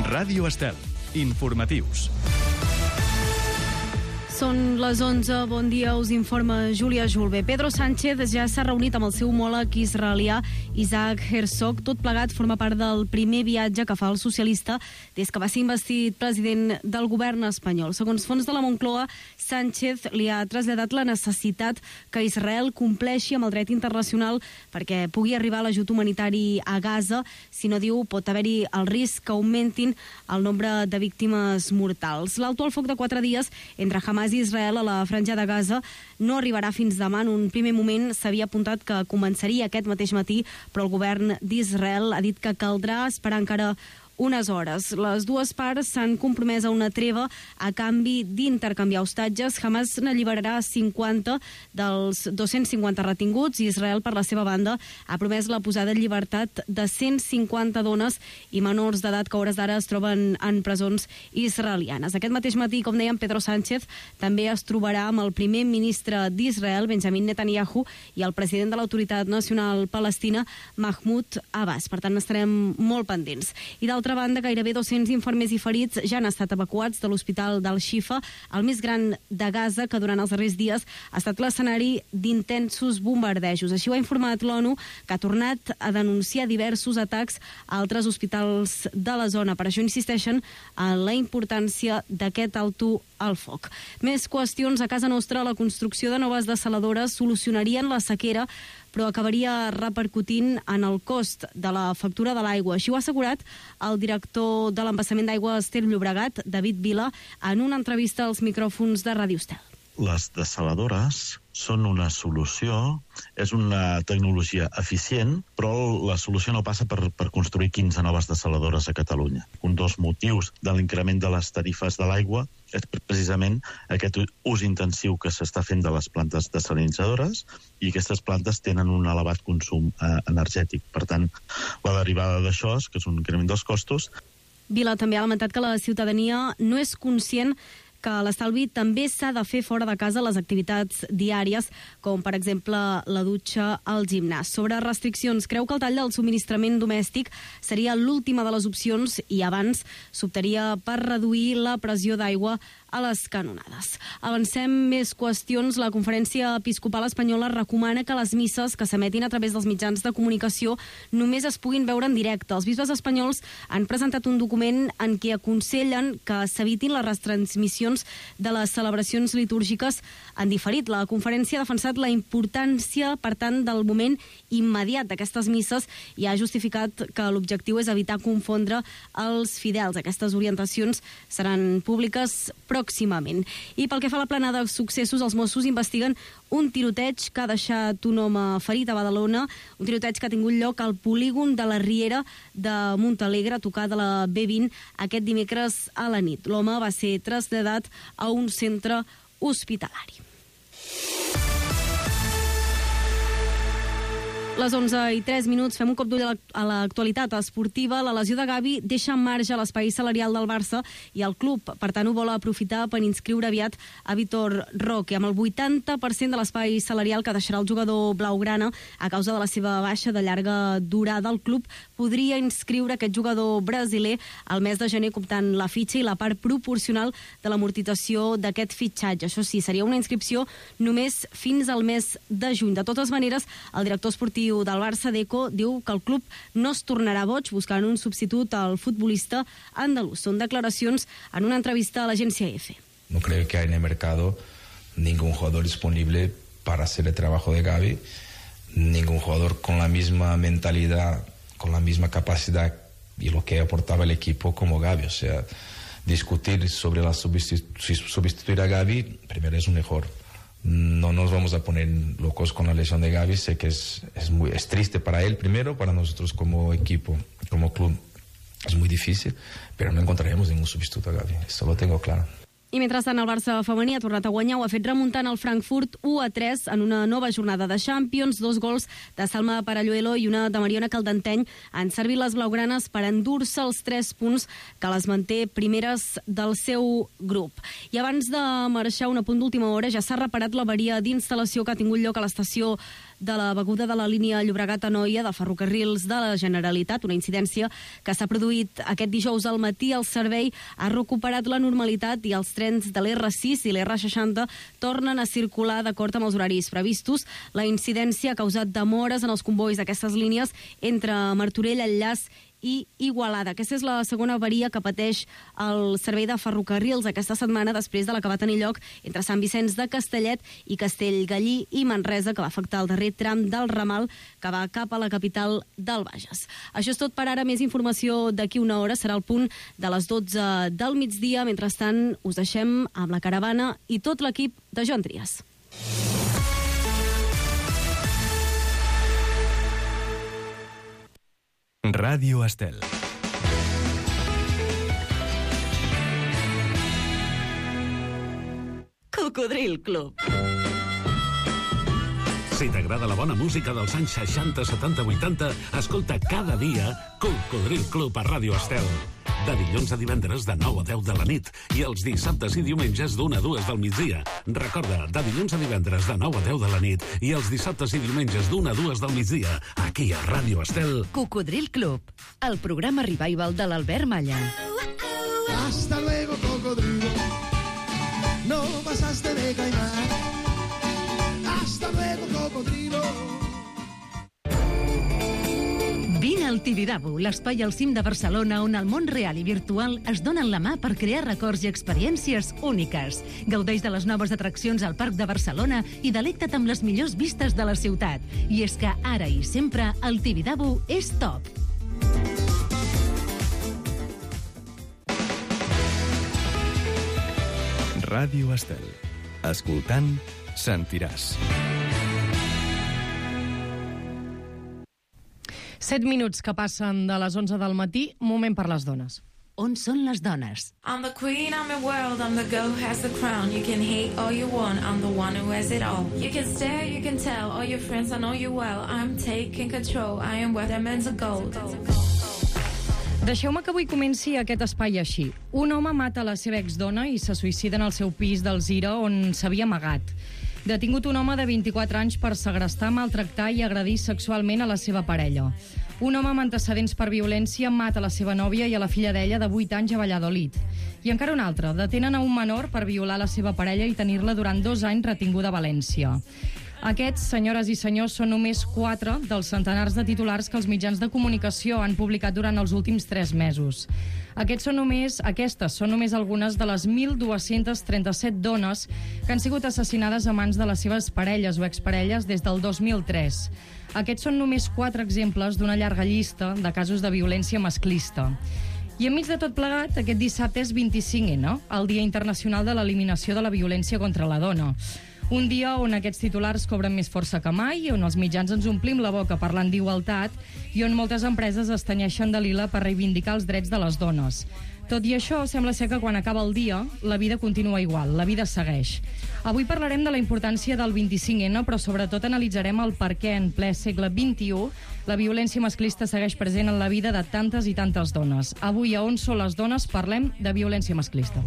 Ràdio Estel. Informatius. Són les 11, bon dia, us informa Júlia Julve. Pedro Sánchez ja s'ha reunit amb el seu homòleg israelià Isaac Herzog. Tot plegat forma part del primer viatge que fa el socialista des que va ser investit president del govern espanyol. Segons fonts de la Moncloa, Sánchez li ha traslladat la necessitat que Israel compleixi amb el dret internacional perquè pugui arribar l'ajut humanitari a Gaza. Si no, diu, pot haver-hi el risc que augmentin el nombre de víctimes mortals. L'alto al foc de 4 dies entre Hamas i Israel a la franja de Gaza no arribarà fins demà. En un primer moment s'havia apuntat que començaria aquest mateix matí, però el govern d'Israel ha dit que caldrà esperar encara unes hores. Les dues parts s'han compromès a una treva a canvi d'intercanviar hostatges. Hamas n'alliberarà 50 dels 250 retinguts i Israel, per la seva banda, ha promès la posada en llibertat de 150 dones i menors d'edat que a hores d'ara es troben en presons israelianes. Aquest mateix matí, com dèiem, Pedro Sánchez també es trobarà amb el primer ministre d'Israel, Benjamin Netanyahu, i el president de l'Autoritat Nacional Palestina, Mahmoud Abbas. Per tant, estarem molt pendents. I d'altra banda, gairebé 200 infermers i ferits ja han estat evacuats de l'hospital d'Al-Shifa, el més gran de Gaza, que durant els darrers dies ha estat l'escenari d'intensos bombardejos. Així ho ha informat l'ONU, que ha tornat a denunciar diversos atacs a altres hospitals de la zona. Per això insisteixen en la importància d'aquest alto al foc. Més qüestions. A casa nostra, la construcció de noves dessaladores solucionarien la sequera, però acabaria repercutint en el cost de la factura de l'aigua. Així ho ha assegurat el director de l'embassament d'aigua Ter Llobregat, David Vila, en una entrevista als micròfons de Ràdio Estel. Les dessaladores són una solució, és una tecnologia eficient, però la solució no passa per construir 15 noves dessaladores a Catalunya. Un dels motius de l'increment de les tarifes de l'aigua és precisament aquest ús intensiu que s'està fent de les plantes dessalinitzadores, i aquestes plantes tenen un elevat consum energètic. Per tant, la derivada d'això és que és un increment dels costos. Vila també ha lamentat que la ciutadania no és conscient que l'estalvi també s'ha de fer fora de casa les activitats diàries, com per exemple la dutxa al gimnàs. Sobre restriccions, creu que el tall del subministrament domèstic seria l'última de les opcions i abans s'optaria per reduir la pressió d'aigua a les canonades. Avancem més qüestions. La Conferència Episcopal Espanyola recomana que les misses que s'emetin a través dels mitjans de comunicació només es puguin veure en directe. Els bisbes espanyols han presentat un document en què aconsellen que s'evitin les retransmissions de les celebracions litúrgiques en diferit. La conferència ha defensat la importància, per tant, del moment immediat d'aquestes misses i ha justificat que l'objectiu és evitar confondre els fidels. Aquestes orientacions seran públiques pròximament. I pel que fa a la plana de successos, els Mossos investiguen un tiroteig que ha deixat un home ferit a Badalona, un tiroteig que ha tingut lloc al polígon de la Riera de Montalegre, a tocar de la B20, aquest dimecres a la nit. L'home va ser traslladat a un centre hospitalari. Les 11:03, fem un cop d'ull a l'actualitat esportiva. La lesió de Gavi deixa en marge l'espai salarial del Barça i el club, per tant, ho vol aprofitar per inscriure aviat a Vitor Roque. Amb el 80% de l'espai salarial que deixarà el jugador blaugrana a causa de la seva baixa de llarga durada, el club podria inscriure aquest jugador brasiler al mes de gener, comptant la fitxa i la part proporcional de l'amortització d'aquest fitxatge. Això sí, seria una inscripció només fins al mes de juny. De totes maneres, el director esportiu del Barça, Deco, diu que el club no es tornarà boig buscant un substitut al futbolista andalús. Són declaracions en una entrevista a l'agència EFE. No creo que hay en el mercado ningún jugador disponible para hacer el trabajo de Gavi, ningún jugador con la misma mentalidad, con la misma capacidad y lo que aportaba el equipo como Gavi. O sea, discutir sobre sustituir a Gavi, primero es un error. No nos vamos a poner locos con la lesión de Gavi. Sé que es triste para él primero, para nosotros como equipo, como club. Es muy difícil, pero no encontraremos ningún sustituto a Gavi. Esto lo tengo claro. I mentrestant el Barça femení ha tornat a guanyar, ho ha fet remuntant el Frankfurt 1-3 en una nova jornada de Champions. 2 gols de Salma Paralluelo i una de Mariona Caldenteny han servit les blaugranes per endur-se els 3 punts que les manté primeres del seu grup. I abans de marxar, un apunt d'última hora, ja s'ha reparat l'averia d'instal·lació que ha tingut lloc a l'estació de la beguda de la línia Llobregat-Anoia de Ferrocarrils de la Generalitat, una incidència que s'ha produït aquest dijous al matí. El servei ha recuperat la normalitat i els trens de l'R6 i l'R60 tornen a circular d'acord amb els horaris previstos. La incidència ha causat demores en els convois d'aquestes línies entre Martorell, Enllaç i Igualada. Aquesta és la segona avaria que pateix el servei de ferrocarrils aquesta setmana després de la que va tenir lloc entre Sant Vicenç de Castellet i Castellgallí i Manresa, que va afectar el darrer tram del ramal que va cap a la capital del Bages. Això és tot per ara. Més informació d'aquí una hora. Serà el punt de les 12 del migdia. Mentrestant, us deixem amb la caravana i tot l'equip de Joan Trias. Ràdio Estel. Cocodril Club. Si t'agrada la bona música dels anys 60, 70, 80, escolta cada dia Cocodril Club a Ràdio Estel. De dilluns a divendres de 9 a 10 de la nit i els dissabtes i diumenges d'1 a 2 del migdia. Recorda, de dilluns a divendres de 9 a 10 de la nit i els dissabtes i diumenges d'1 a 2 del migdia, aquí a Ràdio Estel. Cocodril Club, el programa revival de l'Albert Malla. Hasta luego, cocodrilo. No pasaste de caimán. Hasta luego, cocodrilo. Vine al Tibidabo, l'espai al cim de Barcelona on el món real i virtual es donen la mà per crear records i experiències úniques. Gaudeix de les noves atraccions al Parc de Barcelona i delecta't amb les millors vistes de la ciutat. I és que ara i sempre el Tibidabo és top. Ràdio Estel. Escoltant, sentiràs. 7 minuts que passen de les 11 del matí, moment per les dones. On són les dones? I'm the queen, I'm the world, I'm the girl who has the crown. You can hate all you want, I'm the one who has it all. You can stare, you can tell, all your friends, I know you well. I'm taking control, I am worth diamonds of gold. Deixeu-me que avui comenci aquest espai així. Un home mata la seva exdona i se suïcida en el seu pis d'Alzira, on s'havia amagat. Detingut un home de 24 anys per segrestar, maltractar i agredir sexualment a la seva parella. Un home amb antecedents per violència mata la seva nòvia i a la filla d'ella de 8 anys a Valladolid. I encara un altre. Detenen a un menor per violar la seva parella i tenir-la durant 2 anys retinguda a València. Aquests, senyores i senyors, són només 4 dels centenars de titulars que els mitjans de comunicació han publicat durant els últims 3 mesos. Aquestes són només algunes de les 1.237 dones que han sigut assassinades a mans de les seves parelles o exparelles des del 2003. Aquests són només 4 exemples d'una llarga llista de casos de violència masclista. I enmig de tot plegat, aquest dissabte és 25N, el Dia Internacional de l'Eliminació de la Violència contra la Dona. Un dia on aquests titulars cobren més força que mai, on els mitjans ens omplim la boca parlant d'igualtat i on moltes empreses es tenyeixen de lila per reivindicar els drets de les dones. Tot i això, sembla ser que quan acaba el dia, la vida continua igual, la vida segueix. Avui parlarem de la importància del 25N, però sobretot analitzarem el per què en ple segle XXI la violència masclista segueix present en la vida de tantes i tantes dones. Avui, a On són les dones, parlem de violència masclista.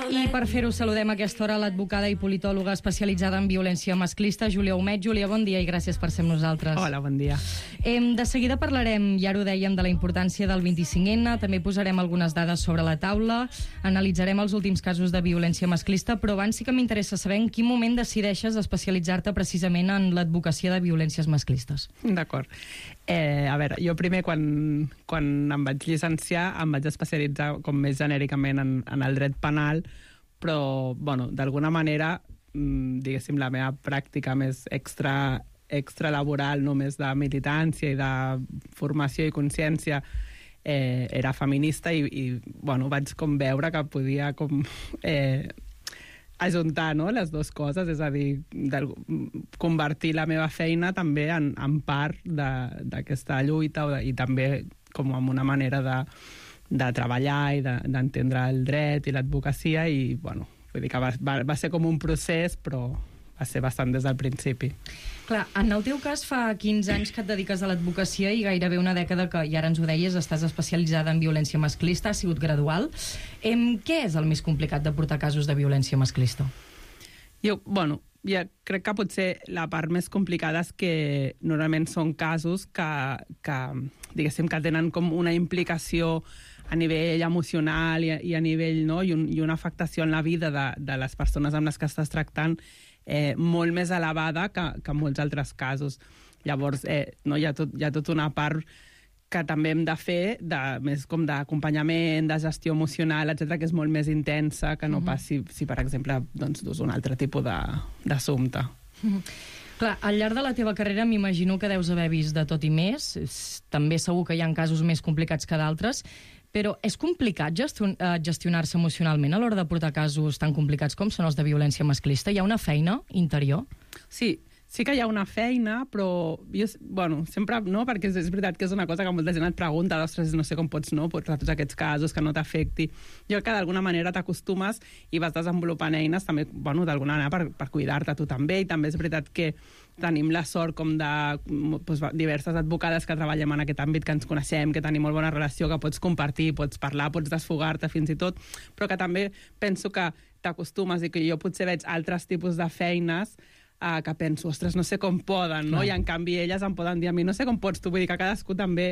I per fer-ho saludem a aquesta hora l'advocada i politòloga especialitzada en violència masclista, Júlia Humet. Júlia, bon dia i gràcies per ser amb nosaltres. Hola, bon dia. De seguida parlarem, ja ho dèiem, de la importància del 25N, també posarem algunes dades sobre la taula, analitzarem els últims casos de violència masclista, però abans sí que m'interessa saber en quin moment decideixes especialitzar-te precisament en l'advocacia de violències masclistes. D'acord. A veure, jo primer, quan em vaig llicenciar, em vaig especialitzar com més genèricament en el dret penal, però, bueno, d'alguna manera, diguéssim, la meva pràctica més extralaboral, només de militància i de formació i consciència, era feminista i bueno, vaig com veure que podia com ajuntar, no?, les dues coses, és a dir, convertir la meva feina també en part d'aquesta lluita i també com en una manera de treballar i d'entendre el dret i l'advocacia i, bueno, vull dir que va ser com un procés, però va ser bastant des del principi. Clar, en el teu cas fa 15 anys que et dediques a l'advocacia i gairebé una dècada que, i ara ens ho deies, estàs especialitzada en violència masclista, ha sigut gradual. Què és el més complicat de portar casos de violència masclista? Jo crec que potser la part més complicada és que normalment són casos que diguéssim, que tenen com una implicació a nivell emocional i a nivell, no?, i una afectació en la vida de les persones amb les que estàs tractant molt més elevada que en molts altres casos. Llavors, hi ha tot una part que també hem de fer més com d'acompanyament, de gestió emocional, etc, que és molt més intensa que no pas si per exemple, doncs, dus un altre tipus d'assumpte. Clar, al llarg de la teva carrera m'imagino que deus haver vist de tot i més. També segur que hi ha casos més complicats que d'altres, però és complicat gestionar-se emocionalment a l'hora de portar casos tan complicats com són els de violència masclista? Hi ha una feina interior? Sí que hi ha una feina, però jo, sempre no, perquè és veritat que és una cosa que molta gent et pregunta, ostres, no sé com pots portar tots aquests casos, que no t'afecti. Jo crec que d'alguna manera t'acostumes i vas desenvolupant eines també, d'alguna manera per cuidar-te tu també, i també és veritat que tenim la sort com de diverses advocades que treballem en aquest àmbit, que ens coneixem, que tenim molt bona relació, que pots compartir, pots parlar, pots desfogar-te fins i tot, però que també penso que t'acostumes i que jo potser veig altres tipus de feines que penso, ostres, no sé com poden, no? I en canvi elles em poden dir a mi, no sé com pots tu, vull dir que cadascú també,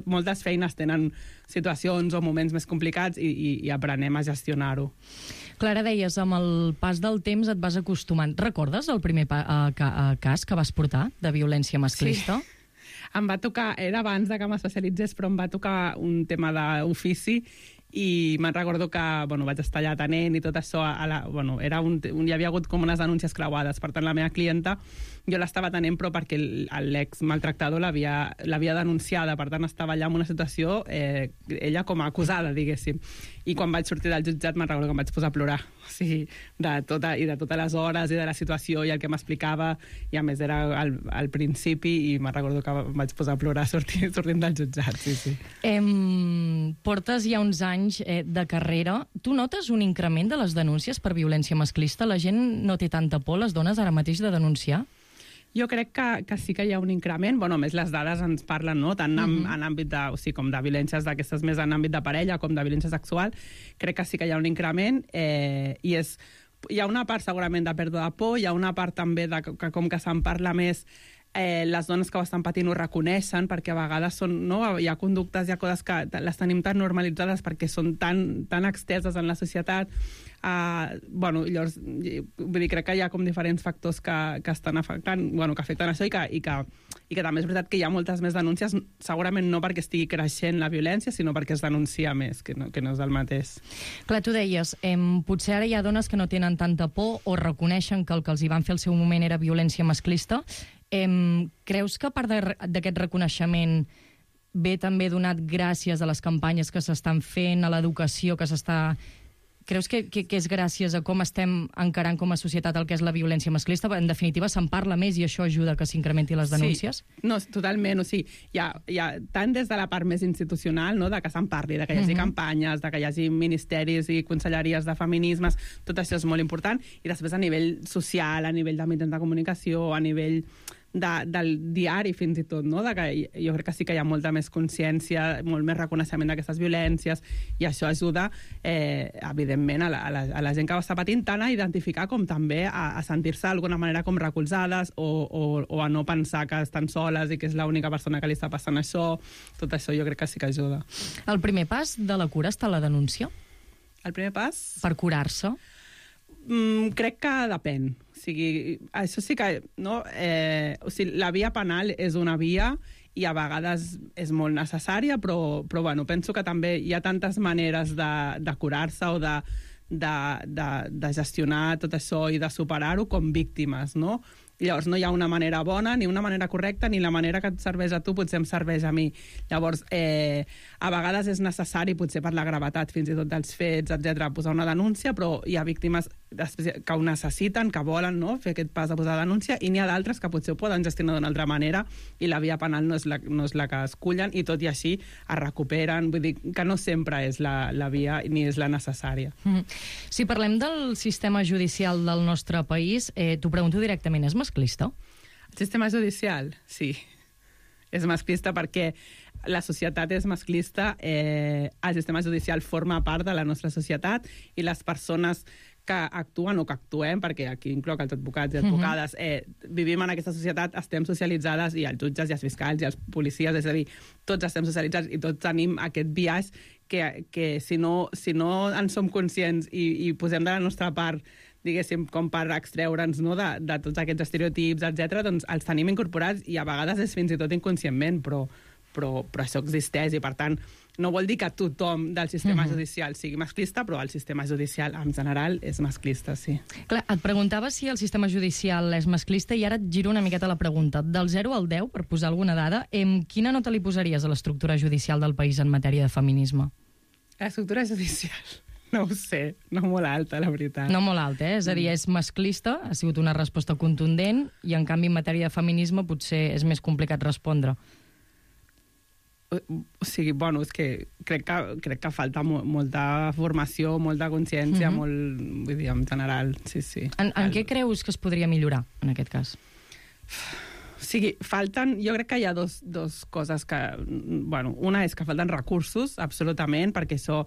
moltes feines tenen situacions o moments més complicats i aprenem a gestionar-ho. Clara, deies, amb el pas del temps et vas acostumant. Recordes el primer cas que vas portar de violència masclista? Sí. Em va tocar, era abans de que m'especialitzés, però em va tocar un tema d'ofici i me'n recordo que vaig estar allà atenent i tot això, hi havia hagut com unes denúncies creuades, per tant la meva clienta jo l'estava atenent però perquè l'ex maltractador l'havia denunciada, per tant estava allà en una situació ella com a acusada, diguéssim, i quan vaig sortir del jutjat me'n recordo que em vaig posar a plorar, o sigui, de totes les hores i de la situació i el que m'explicava, i a més era al principi i me'n recordo que em vaig posar a plorar sortint del jutjat, sí. Portes ja uns anys de carrera. Tu notes un increment de les denúncies per violència masclista? La gent no té tanta por, les dones, ara mateix de denunciar? Jo crec que sí que hi ha un increment. A més, les dades ens parlen, no?, tant en àmbit com de violències d'aquestes més en àmbit de parella com de violència sexual. Crec que sí que hi ha un increment i hi ha una part segurament de pèrdua de por, hi ha una part també que com que se'n parla més, les dones que ho estan patint ho reconeixen, perquè a vegades hi ha conductes, hi ha coses que les tenim tan normalitzades perquè són tan exteses en la societat. Llavors, vull dir, crec que hi ha com diferents factors que estan afectant, que afecten això i que també és veritat que hi ha moltes més denúncies, segurament no perquè estigui creixent la violència, sinó perquè es denuncia més, que no és el mateix. Clar, tu deies, potser ara hi ha dones que no tenen tanta por o reconeixen que el que els hi van fer al seu moment era violència masclista. Creus que a part d'aquest reconeixement ve també donat gràcies a les campanyes que s'estan fent, a l'educació que s'està... Creus que és gràcies a com estem encarant com a societat el que és la violència masclista? En definitiva, se'n parla més i això ajuda que s'incrementi les denúncies? Sí, no, totalment. O sigui, hi ha tant des de la part més institucional, no?, de que se'n parli, de que hi hagi campanyes, de que hi hagi ministeris i conselleries de feminismes, tot això és molt important. I després a nivell social, a nivell de mitjans de comunicació, a nivell del diari fins i tot, no?, de que jo crec que sí que hi ha molta més consciència, molt més reconeixement d'aquestes violències, i això ajuda evidentment a la gent que ho està patint tant a identificar com també a sentir-se d'alguna manera com recolzades o a no pensar que estan soles i que és l'única persona que li està passant això. Tot això jo crec que sí que ajuda. El primer pas de la cura està la denúncia? El primer pas? Per curar-se? Crec que depèn. O sigui, això sí que... No? La via penal és una via i a vegades és molt necessària, però penso que també hi ha tantes maneres de curar-se o de gestionar tot això i de superar-ho com víctimes, no? Llavors no hi ha una manera bona, ni una manera correcta, ni la manera que et serveix a tu potser em serveix a mi. Llavors, a vegades és necessari, potser per la gravetat fins i tot dels fets, etc, posar una denúncia, però hi ha víctimes que ho necessiten, que volen, no?, fer aquest pas de posar denúncia, i n'hi ha d'altres que potser ho poden gestionar d'una altra manera i la via penal no és la que escullen, i tot i així es recuperen. Vull dir que no sempre és la via ni és la necessària. Si parlem del sistema judicial del nostre país, t'ho pregunto directament, és masclista? El sistema judicial, sí. És masclista perquè la societat és masclista, el sistema judicial forma part de la nostra societat i les persones que actuen o que actuem, perquè aquí incloc els advocats i advocades, vivim en aquesta societat, estem socialitzades, i els jutges i els fiscals i els policies, és a dir, tots estem socialitzats i tots tenim aquest biaix que si no en som conscients i posem de la nostra part, diguéssim, com per extreure'ns, no, de tots aquests estereotips, etc, doncs els tenim incorporats i a vegades és fins i tot inconscientment, però això existeix i, per tant, no vol dir que tothom del sistema judicial sigui masclista, però el sistema judicial en general és masclista, sí. Clar, et preguntava si el sistema judicial és masclista i ara et giro una miqueta la pregunta. Del 0 al 10, per posar alguna dada, quina nota li posaries a l'estructura judicial del país en matèria de feminisme? L'estructura judicial? No ho sé, no molt alta, la veritat. No molt alta, És a dir, és masclista, ha sigut una resposta contundent, i en canvi en matèria de feminisme potser és més complicat respondre. O sigui, bueno, és que crec que falta molta formació, molta consciència, molt, vull dir, en general, sí. En què creus que es podria millorar, en aquest cas? O sigui, jo crec que hi ha dos coses que... Bueno, una és que falten recursos, absolutament, perquè això...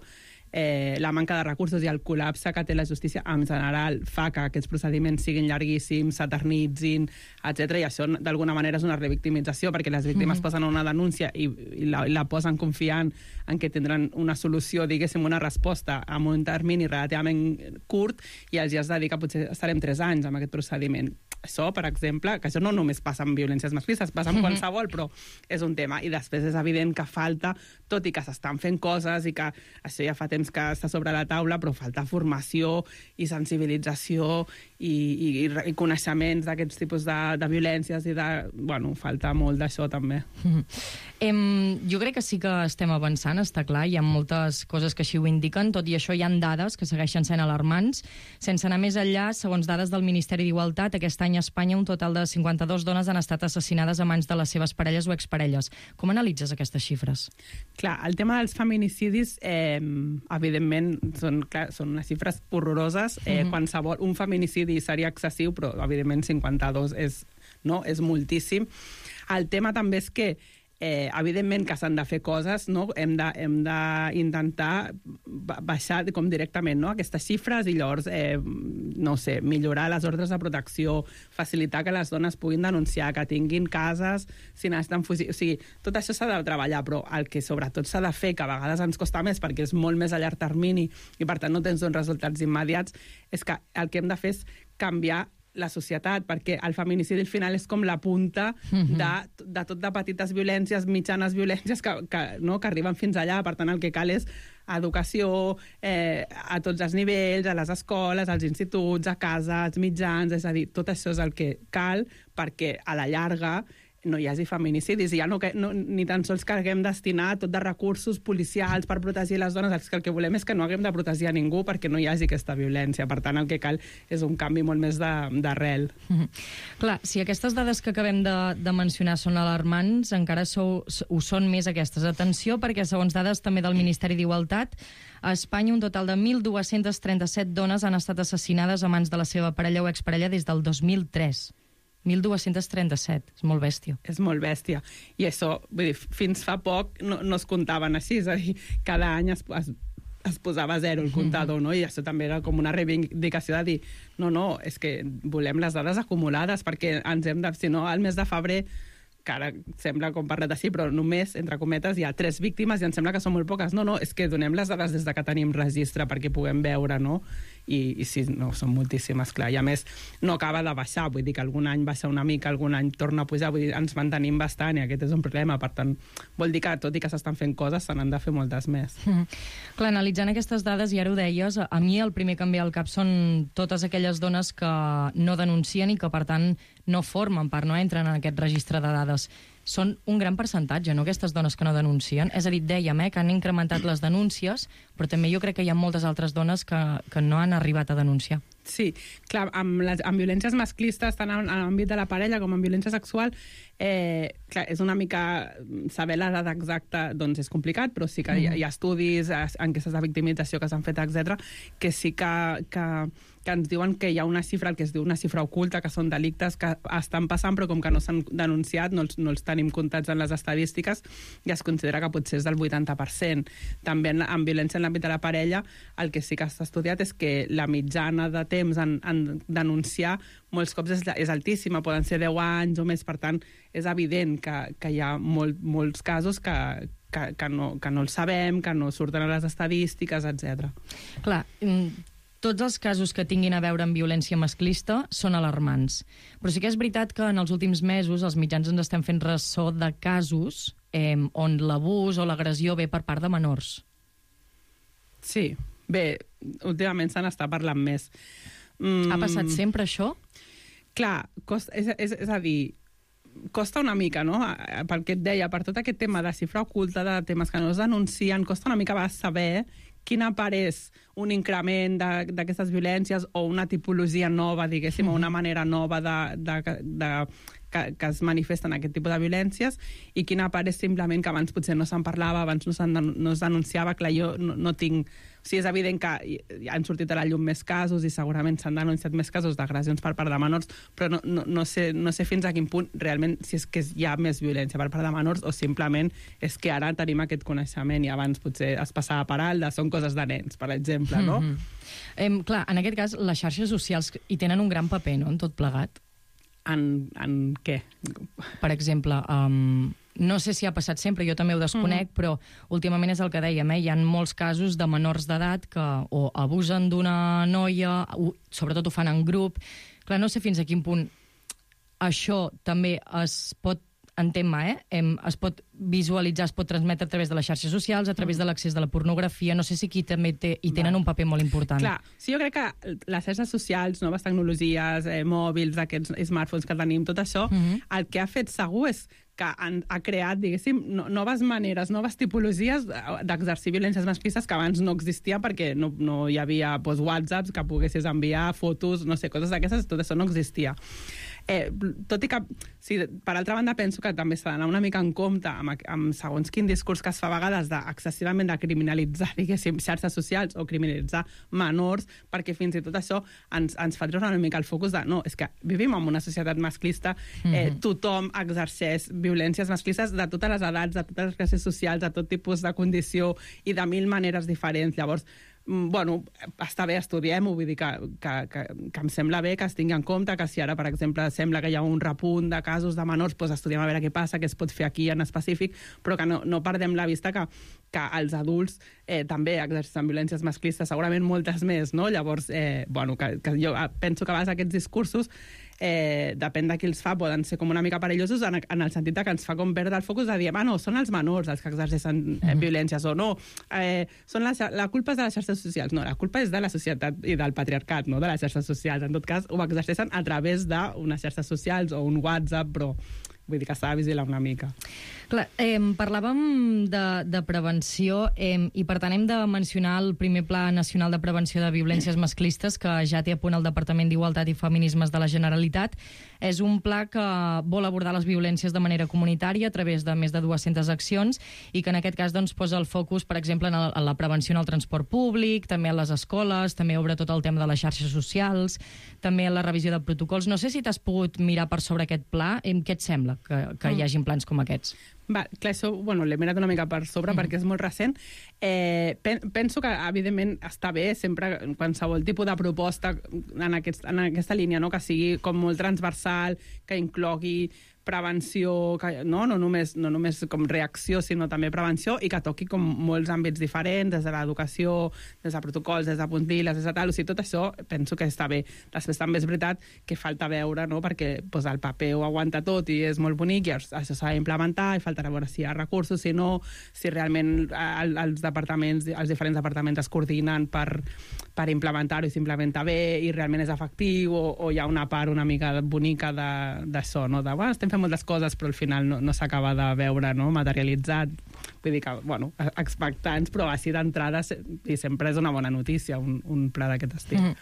la manca de recursos i el col·lapse que té la justícia en general fa que aquests procediments siguin llarguíssims, s'eternitzin, etc. I això d'alguna manera és una revictimització, perquè les víctimes posen una denúncia i la posen confiant en que tindran una solució, diguéssim, una resposta en un termini relativament curt, i els has de dir que potser estarem 3 anys amb aquest procediment. Això, per exemple, que això no només passa amb violències masclistes, passa amb qualsevol, però és un tema. I després és evident que falta, tot i que s'estan fent coses i que això ja fa temps que està sobre la taula, però falta formació i sensibilització i coneixements d'aquests tipus de violències i de... Bueno, falta molt d'això també. Jo crec que sí que estem avançant, està clar, hi ha moltes coses que així ho indiquen, tot i això hi ha dades que segueixen sent alarmants. Sense anar més enllà, segons dades del Ministeri d'Igualtat, aquest any a Espanya un total de 52 dones han estat assassinades a mans de les seves parelles o exparelles. Com analitzes aquestes xifres? Clar, el tema dels feminicidis, evidentment, són unes xifres horroroses. Un feminicidi seria excessiu, però evidentment 52 és moltíssim. El tema també és que evidentment que s'han de fer coses, no? Hem d'intentar baixar com directament, no?, aquestes xifres i llavors, no sé, millorar les ordres de protecció, facilitar que les dones puguin denunciar, que tinguin cases si necessiten fugir. O sigui, tot això s'ha de treballar, però el que sobretot s'ha de fer, que a vegades ens costa més perquè és molt més a llarg termini i per tant no tens uns resultats immediats, és que el que hem de fer és canviar la societat, perquè el feminicidi al final és com la punta de tot de petites violències, mitjanes violències que arriben fins allà. Per tant, el que cal és educació a tots els nivells, a les escoles, als instituts, a casa, als mitjans, és a dir, tot això és el que cal perquè a la llarga no hi hagi feminicidis, i ja ni tan sols que haguem destinar tot de recursos policials per protegir les dones, el que volem és que no haguem de protegir a ningú perquè no hi hagi aquesta violència. Per tant, el que cal és un canvi molt més d'arrel. Clar, si aquestes dades que acabem de mencionar són alarmants, encara ho són més aquestes. Atenció, perquè segons dades també del Ministeri d'Igualtat, a Espanya un total de 1.237 dones han estat assassinades a mans de la seva parella o exparella des del 2003. 1.237, és molt bèstia. És molt bèstia. I això, vull dir, fins fa poc no es comptaven així, és a dir, cada any es posava a 0 el comptador, no? I això també era com una reivindicació de dir no, és que volem les dades acumulades perquè ens hem de... Si no, al mes de febrer, que ara sembla com parlat així, però només, entre cometes, hi ha 3 víctimes i em sembla que són molt poques. No, és que donem les dades des de que tenim registre perquè puguem veure, no? I sí, no, són moltíssimes, clar. I a més, no acaba de baixar, vull dir que algun any baixa una mica, algun any torna a pujar, vull dir, ens mantenim bastant i aquest és un problema. Per tant, vol dir que tot i que s'estan fent coses, se n'han de fer moltes més. Clar, analitzant aquestes dades, i ara ho deies, a mi el primer que em ve al cap són totes aquelles dones que no denuncien i que, per tant, no formen part, no entren en aquest registre de dades. Són un gran percentatge, no?, aquestes dones que no denuncien. És a dir, dèiem que han incrementat les denúncies, però també jo crec que hi ha moltes altres dones que no han arribat a denunciar. Sí, clar, amb violències masclistes, tant en l'àmbit de la parella com en violència sexual, clar, és una mica... Saber l'edat exacta doncs és complicat, però sí que hi ha estudis, enquestes de victimització que s'han fet, etc, que sí que ens diuen que hi ha una xifra, el que es diu una xifra oculta, que són delictes que estan passant, però com que no s'han denunciat, no els tenim comptats en les estadístiques, i es considera que potser és del 80%. També en violència en l'àmbit de la parella, el que sí que s'ha estudiat és que la mitjana de temps en denunciar molts cops és altíssima, poden ser 10 anys o més, per tant, és evident que hi ha molts casos que no els sabem, que no surten a les estadístiques, etc. Clar, tots els casos que tinguin a veure amb violència masclista són alarmants. Però sí que és veritat que en els últims mesos els mitjans ens estem fent ressò de casos on l'abús o l'agressió ve per part de menors. Sí, bé, últimament se n'està parlant més. Ha passat sempre això? Clar, és a dir, costa una mica, no?, pel que et deia, per tot aquest tema de xifra oculta, de temes que no es denuncien, costa una mica saber quina part és un increment d'aquestes violències o una tipologia nova, diguéssim, o una manera nova que es manifesten aquest tipus de violències, i quina part és simplement que abans potser no se'n parlava, abans no es denunciava. Clar, jo no tinc... O sigui, és evident que han sortit a la llum més casos i segurament s'han denunciat més casos d'agressions per part de menors, però no sé fins a quin punt realment si és que hi ha més violència per part de menors o simplement és que ara tenim aquest coneixement i abans potser es passava per alt, són coses de nens, per exemple, no? Clar, en aquest cas, les xarxes socials hi tenen un gran paper, no?, en tot plegat. En què? Per exemple, no sé si ha passat sempre, jo també ho desconec, però últimament és el que dèiem, hi ha molts casos de menors d'edat que o abusen d'una noia, sobretot ho fan en grup. Clar, no sé fins a quin punt això també es pot, es pot visualitzar, es pot transmetre a través de les xarxes socials, a través de l'accés de la pornografia. No sé si aquí també hi tenen un paper molt important. Clar, sí, jo crec que les xarxes socials, noves tecnologies, mòbils, aquests smartphones que tenim, tot això, el que ha fet segur és que ha creat, diguéssim, noves maneres, noves tipologies d'exercir violències masclistes que abans no existia perquè no hi havia WhatsApps que poguessis enviar fotos, no sé, coses d'aquestes, tot això no existia. Tot i que, sí, per altra banda, penso que també s'ha d'anar una mica en compte amb segons quin discurs que es fa a vegades excessivament de criminalitzar, diguéssim, xarxes socials o criminalitzar menors, perquè fins i tot això ens fa treure una mica el focus de no, és que vivim en una societat masclista, tothom exerceix violències masclistes de totes les edats, de totes les classes socials, de tot tipus de condició i de 1000 maneres diferents. Llavors, bueno, està bé, estudiem-ho, vull dir que em sembla bé que es tingui en compte que si ara, per exemple, sembla que hi ha un repunt de casos de menors, doncs estudiem a veure què passa, què es pot fer aquí en específic, però que no perdem la vista que els adults també exerceixen violències masclistes, segurament moltes més, no? Llavors, bueno, que jo penso que a vegades aquests discursos depèn de qui els fa, poden ser com una mica perillosos en el sentit que ens fa com perdre el focus de dir, no, són els menors els que exerceixen violències, o no, la culpa és de les xarxes socials. No, la culpa és de la societat i del patriarcat, no de les xarxes socials. En tot cas, ho exerceixen a través d'unes xarxes socials o un WhatsApp, però vull dir que s'ha de vigilar una mica. Clar, parlàvem de prevenció i per tant hem de mencionar el primer Pla Nacional de Prevenció de Violències Masclistes que ja té a punt el Departament d'Igualtat i Feminismes de la Generalitat. És un pla que vol abordar les violències de manera comunitària a través de més de 200 accions i que en aquest cas doncs, posa el focus, per exemple, en la prevenció en el transport públic, també a les escoles, també obre tot el tema de les xarxes socials, també en la revisió de protocols. No sé si t'has pogut mirar per sobre aquest pla. Què et sembla que hi hagin plans com aquests? Va, clar, això l'he mirat una mica per sobre perquè és molt recent. Penso que, evidentment, està bé sempre qualsevol tipus de proposta en aquesta línia, no? Que sigui com molt transversal, que inclogui prevenció, no només com reacció, sinó també prevenció, i que toqui com molts àmbits diferents, des de l'educació, des de protocols, des de puntilles, des de tal. O sigui, tot això penso que està bé. Després també és veritat que falta veure, no?, perquè el paper ho aguanta tot i és molt bonic, i això s'ha d'implementar, i faltarà veure si hi ha recursos, si no, si realment els diferents departaments es coordinen per implementar-ho i s'implementa bé i realment és efectiu, o hi ha una part una mica bonica d'això, no?, de, estem fent moltes coses però al final no s'acaba de veure, no?, materialitzat. Vull dir que, expectants, però així d'entrada i sempre és una bona notícia un pla d'aquest estil.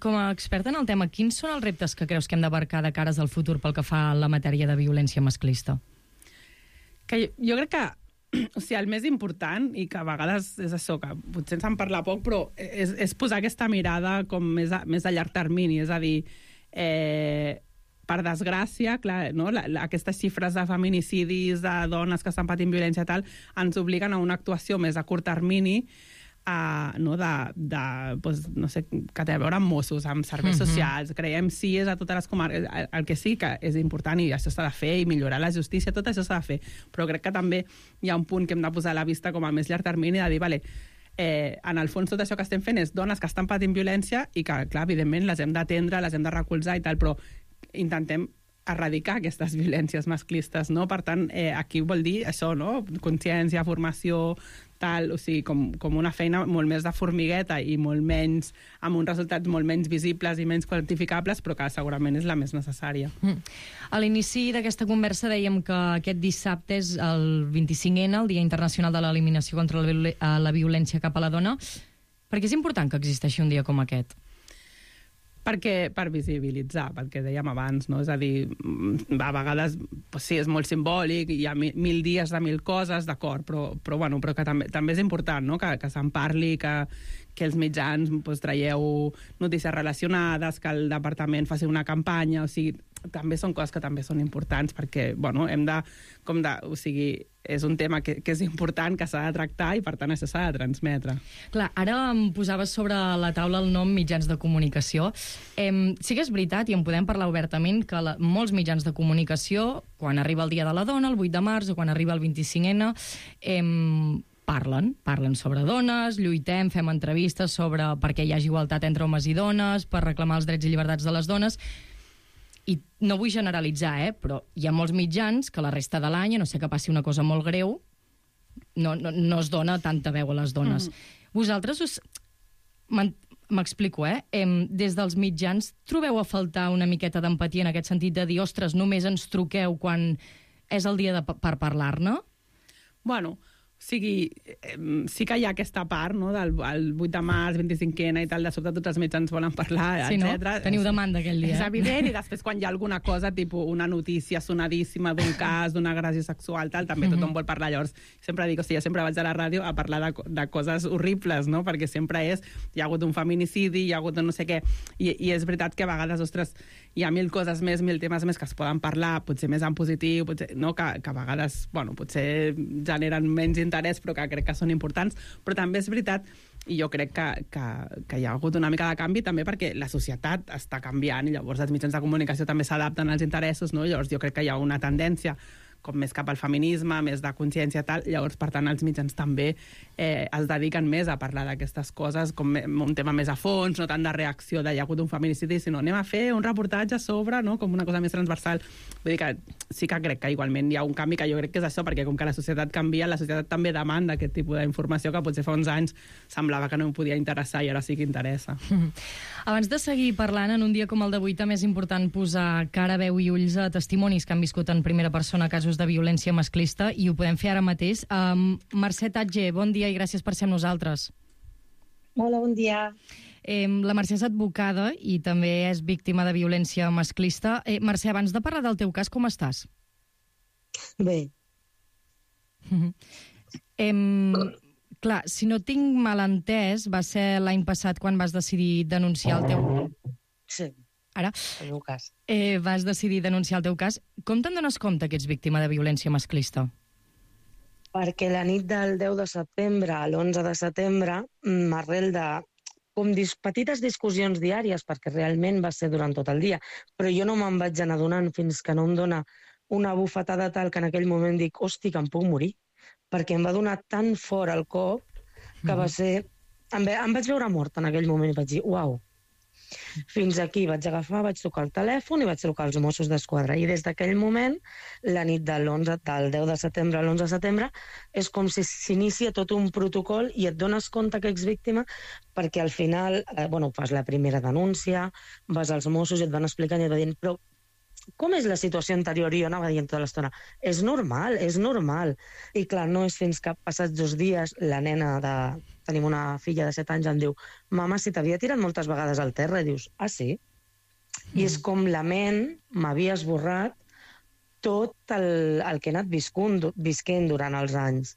Com a experta en el tema, quins són els reptes que creus que hem d'abarcar de cares al futur pel que fa a la matèria de violència masclista? Que jo crec que el més important, i que a vegades és això, que potser se'n parla poc, però és posar aquesta mirada com més a llarg termini, és a dir, per desgràcia, clar, no? Aquestes xifres de feminicidis, de dones que estan patint violència i tal, ens obliguen a una actuació més a curt termini, no sé, que té a veure amb Mossos, amb serveis socials, creiem CIES a totes les comarques, el que sí que és important, i això s'ha de fer, i millorar la justícia, tot això s'ha de fer, però crec que també hi ha un punt que hem de posar a la vista com a més llarg termini, de dir, vale, en el fons tot això que estem fent és dones que estan patint violència i que, clar, evidentment les hem d'atendre, les hem de recolzar i tal, però intentem erradicar aquestes violències masclistes, no? Per tant, aquí vol dir això, no? Consciència, formació, tal, o sigui, com una feina molt més de formigueta i molt menys, amb uns resultats molt menys visibles i menys quantificables, però que segurament és la més necessària. A l'inici d'aquesta conversa dèiem que aquest dissabte és el 25N, el Dia Internacional de l'Eliminació contra la Violència cap a la Dona. Per què és important que existeixi un dia com aquest? Per visibilitzar, pel que dèiem abans, no? És a dir, a vegades sí, és molt simbòlic, hi ha 1000 dies de 1000 coses, d'acord, però que també és important, no?, que se'n parli, que els mitjans traieu notícies relacionades, que el departament faci una campanya, o sigui, també són coses que també són importants, perquè, hem de, o sigui, és un tema que és important, que s'ha de tractar i, per tant, això s'ha de transmetre. Clar, ara em posaves sobre la taula el nom mitjans de comunicació. Sí que és veritat, i en podem parlar obertament, que molts mitjans de comunicació, quan arriba el Dia de la Dona, el 8 de març, o quan arriba el 25N, parlen sobre dones, lluitem, fem entrevistes sobre perquè hi hagi igualtat entre homes i dones, per reclamar els drets i llibertats de les dones. I no vull generalitzar, però hi ha molts mitjans que la resta de l'any, a no sé que passi una cosa molt greu, no es dona tanta veu a les dones. Vosaltres m'explico, des dels mitjans trobeu a faltar una miqueta d'empatia en aquest sentit de dir, ostres, només ens truqueu quan és el dia per parlar-ne? Bueno, o sigui, sí que hi ha aquesta part, no?, del 8 de març, 25N i tal, de sobte tots els mitjans volen parlar, sí, etc. No? Teniu demanda aquell dia. És evident, i després quan hi ha alguna cosa, tipus una notícia sonadíssima d'un cas, d'una agressió sexual, tal, també tothom vol parlar. Llavors, sempre dic, o sigui, sempre vaig a la ràdio a parlar de coses horribles, no?, perquè sempre hi ha hagut un feminicidi, hi ha hagut no sé què, i és veritat que a vegades, ostres, hi ha 1000 coses més, 1000 temes més que es poden parlar, potser més en positiu, potser, no? Que a vegades, potser generen menys interès, però que crec que són importants. Però també és veritat, i jo crec que hi ha hagut una mica de canvi també perquè la societat està canviant i llavors els mitjans de comunicació també s'adapten als interessos, no? Llavors jo crec que hi ha una tendència com més cap al feminisme, més de consciència i tal, llavors, per tant, els mitjans també es dediquen més a parlar d'aquestes coses, com un tema més a fons, no tant de reacció de hi ha hagut un feminicidi, sinó anem a fer un reportatge sobre, no?, com una cosa més transversal. Vull dir que sí que crec que igualment hi ha un canvi, que jo crec que és això, perquè com que la societat canvia, la societat també demanda aquest tipus d'informació que potser fa uns anys semblava que no em podia interessar i ara sí que interessa. Abans de seguir parlant, en un dia com el d'avui també és important posar cara, veu i ulls a testimonis que han viscut en primera persona casos de violència masclista, i ho podem fer ara mateix. Mercè Tatger, bon dia i gràcies per ser amb nosaltres. Hola, bon dia. La Mercè és advocada i també és víctima de violència masclista. Mercè, abans de parlar del teu cas, com estàs? Bé. Clar, si no tinc mal entès, va ser l'any passat quan vas decidir denunciar el teu... Sí. Ara, el meu cas. Vas decidir denunciar el teu cas. Com te'n dones compte que ets víctima de violència masclista? Perquè la nit del 10 de setembre a l'11 de setembre, arrel de petites discussions diàries, perquè realment va ser durant tot el dia, però jo no me'n vaig anar donant fins que no em dona una bufetada tal que en aquell moment dic, hosti, que em puc morir, perquè em va donar tan fort el cop que va ser... Em vaig veure mort en aquell moment i vaig dir, uau. Fins aquí vaig agafar, vaig trucar el telèfon i vaig trucar als Mossos d'Esquadra. I des d'aquell moment, la nit del 10 de setembre a l'11 de setembre, és com si s'inicia tot un protocol i et dones compte que ets víctima perquè al final, fas la primera denúncia, vas als Mossos i et van explicant i et van dient, però com és la situació anterior? I jo anava dient tota l'estona, és normal, és normal. I clar, no és fins que passats 2 dies la nena tenim una filla de 7 anys, em diu, mama, si t'havia tirat moltes vegades al terra, i dius, ah, sí? I és com la ment m'havia esborrat tot el que he anat visquent durant els anys.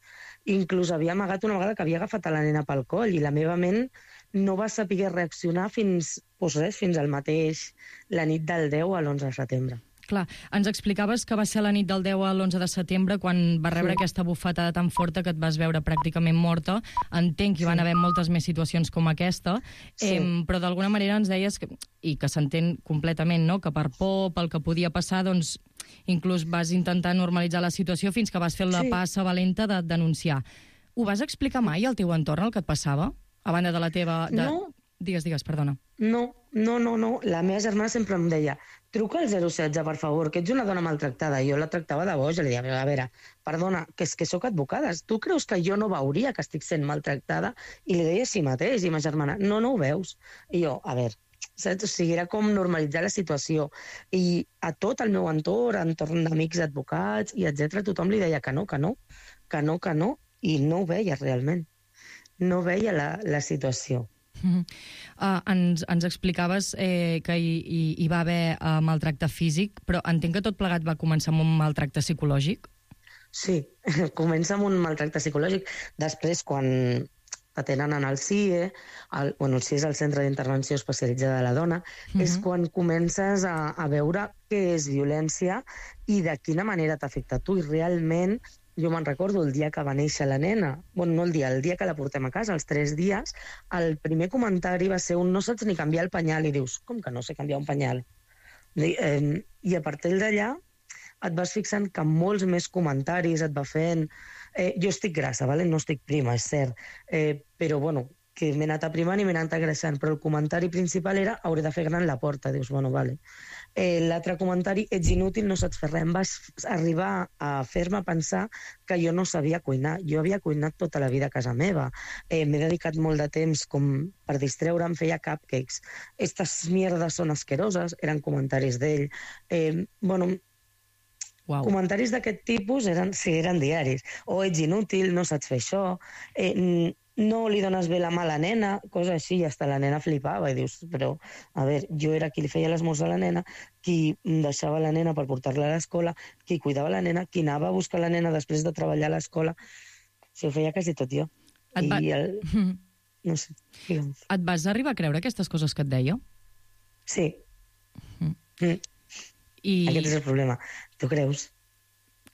Inclús havia amagat una vegada que havia agafat a la nena pel coll i la meva ment no va saber reaccionar fins al mateix, la nit del 10 a l'11 de setembre. Clar, ens explicaves que va ser la nit del 10 a l'11 de setembre quan va rebre aquesta bufetada tan forta que et vas veure pràcticament morta. Entenc que hi van haver moltes més situacions com aquesta, però d'alguna manera ens deies, i que s'entén completament, no?, que per por, pel que podia passar, doncs inclús vas intentar normalitzar la situació fins que vas fer la passa valenta de denunciar. Ho vas explicar mai al teu entorn, el que et passava? A banda de la teva... No. Digues, perdona. No. La meva germana sempre em deia, truca al 016, per favor, que ets una dona maltractada. Jo la tractava de boja, li deia, a veure, perdona, que és que sóc advocada. Tu creus que jo no veuria que estic sent maltractada? I li deia així mateix, i ma germana, no ho veus. I jo, a veure, saps? O sigui, era com normalitzar la situació. I a tot el meu entorn d'amics advocats i etc, tothom li deia que no, i no ho veia realment. No veia la situació. Ens explicaves que hi va haver maltracte físic, però entenc que tot plegat va començar amb un maltracte psicològic? Sí, comença amb un maltracte psicològic. Després, quan t'atenen en el CIE, el CIE és el Centre d'Intervenció Especialitzada de la Dona, és quan comences a veure què és violència i de quina manera t'afecta a tu. I realment, jo me'n recordo el dia que va néixer la nena, no el dia que la portem a casa, els 3 dies, el primer comentari va ser no saps ni canviar el penyal, i dius, com que no sé canviar un penyal? I a partir d'allà et vas fixant que molts més comentaris et va fent... Jo estic grassa, no estic prima, és cert, però que m'he anat aprimant i m'he anat agreixant, però el comentari principal era hauré de fer gran la porta, dius, vale. L'altre comentari, ets inútil, no saps fer res. Em vas arribar a fer-me pensar que jo no sabia cuinar. Jo havia cuinat tota la vida a casa meva. M'he dedicat molt de temps com per distreure'm, feia cupcakes. Estas mierdes són asqueroses, eren comentaris d'ell. Comentaris d'aquest tipus eren diaris. O ets inútil, no saps fer això, no li dones bé la mà a la nena, cosa així, i hasta la nena flipava, i dius, però, a veure, jo era qui li feia l'esmorzar a la nena, qui deixava la nena per portar-la a l'escola, qui cuidava la nena, qui anava a buscar la nena després de treballar a l'escola. Ho feia quasi tot jo. No sé, digue'm. Et vas arribar a creure aquestes coses que et deia? Sí. Aquest és el problema. Tu creus?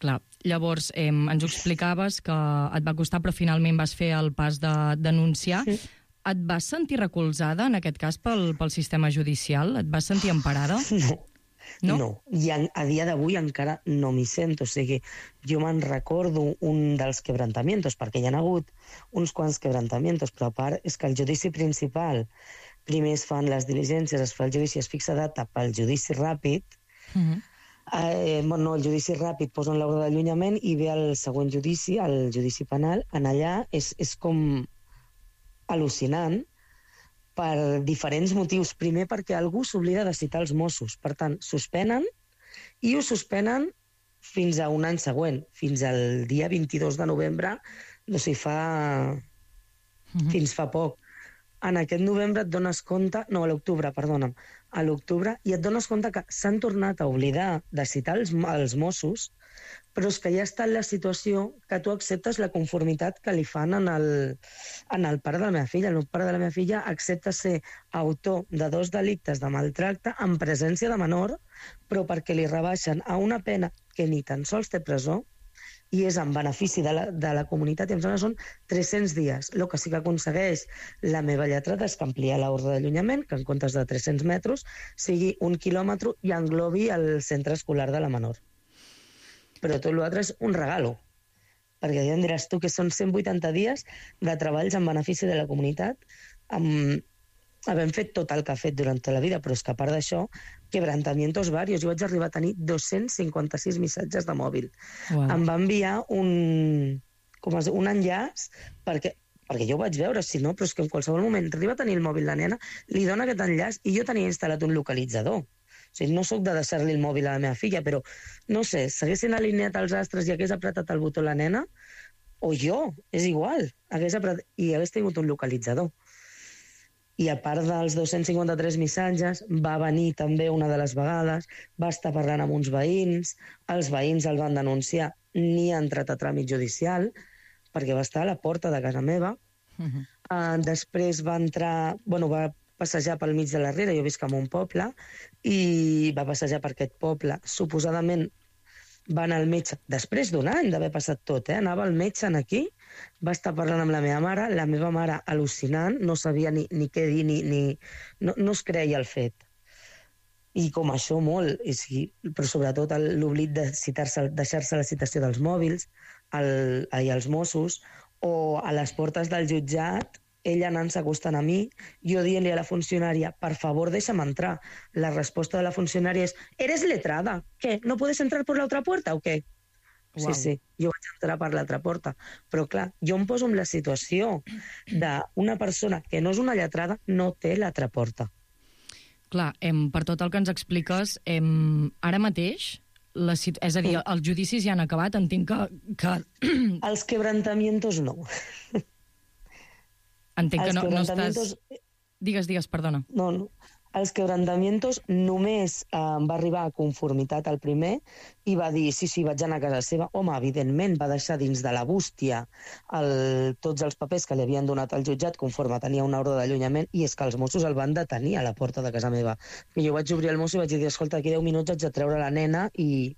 Clar, llavors ens ho explicaves que et va costar, però finalment vas fer el pas de denunciar. Sí. Et vas sentir recolzada, en aquest cas, pel sistema judicial? Et vas sentir emparada? No. I a dia d'avui encara no m'hi sento. O sigui, jo me'n recordo un dels quebrantamientos, perquè hi ha hagut uns quants quebrantamientos, però a part és que el judici principal, primer es fan les diligències, es fa el judici, es fixa data pel judici ràpid, el judici ràpid posen l'ordre d'allunyament i ve el següent judici, el judici penal. En allà és com al·lucinant per diferents motius. Primer perquè algú s'oblida de citar els Mossos. Per tant, suspenen i ho suspenen fins a un any següent, fins al dia 22 de novembre, fins fa poc. En aquest novembre et dones compte, a l'octubre, perdona'm, a l'octubre, i et dones compte que s'han tornat a oblidar de citar els Mossos, però és que ja està en la situació que tu acceptes la conformitat que li fan en el pare de la meva filla. El pare de la meva filla accepta ser autor de 2 delictes de maltracte en presència de menor, però perquè li rebaixen a una pena que ni tan sols té presó, i és en benefici de la comunitat, i em sembla que són 300 dies. El que sí que aconsegueix la meva lletrada és que ampliar l'ordre d'allunyament, que en comptes de 300 metres sigui 1 quilòmetre i englobi el centre escolar de la menor. Però tot l'altre és un regalo, perquè ja em diràs tu que són 180 dies de treballs en benefici de la comunitat, havent fet tot el que ha fet durant tota la vida, però és que a part d'això, quebrantamientos varios. Jo vaig arribar a tenir 256 missatges de mòbil. Wow. Em va enviar un enllaç perquè jo ho vaig veure, si no, però és que en qualsevol moment arriba a tenir el mòbil la nena, li dona aquest enllaç i jo tenia instal·lat un localitzador. O sigui, no sóc de deixar-li el mòbil a la meva filla, però, no sé, s'haguessin alineat els astres i hagués apretat el botó la nena, o jo, és igual, i hagués tingut un localitzador. I a part dels 253 missatges, va venir també una de les vegades, va estar parlant amb uns veïns, els veïns el van denunciar, ni ha entrat a tràmit judicial, perquè va estar a la porta de casa meva. Després va entrar, va passejar pel mig de la Riera, jo visc en un poble, i va passejar per aquest poble. Suposadament va anar al metge, després d'un any d'haver passat tot, anava al metge aquí, va estar parlant amb la meva mare al·lucinant, no sabia ni què dir, no es creia el fet. I com això molt, però sobretot l'oblit de deixar-se la citació dels mòbils, als Mossos, o a les portes del jutjat, ella anant-se acostant a mi, jo dient-li a la funcionària, per favor, deixa'm entrar. La resposta de la funcionària és, ¿eres letrada? ¿Qué? ¿No puedes entrar por la otra puerta o qué? Wow. Sí, jo vaig entrar per l'altra porta. Però clar, jo em poso en la situació d'una persona que no és una lletrada, no té l'altra porta. Clar, per tot el que ens expliques, ara mateix, és a dir, els judicis ja han acabat, entenc que... Els quebrantamientos no. Entenc que no estàs... Digues, perdona. No. Els quebrantamientos només va arribar a conformitat el primer i va dir, sí, vaig anar a casa seva. Home, evidentment, va deixar dins de la bústia tots els papers que li havien donat al jutjat conforme tenia una ordre d'allunyament, i és que els Mossos el van detenir a la porta de casa meva. I jo vaig obrir el Mosso i vaig dir, escolta, aquí 10 minuts haig de treure la nena i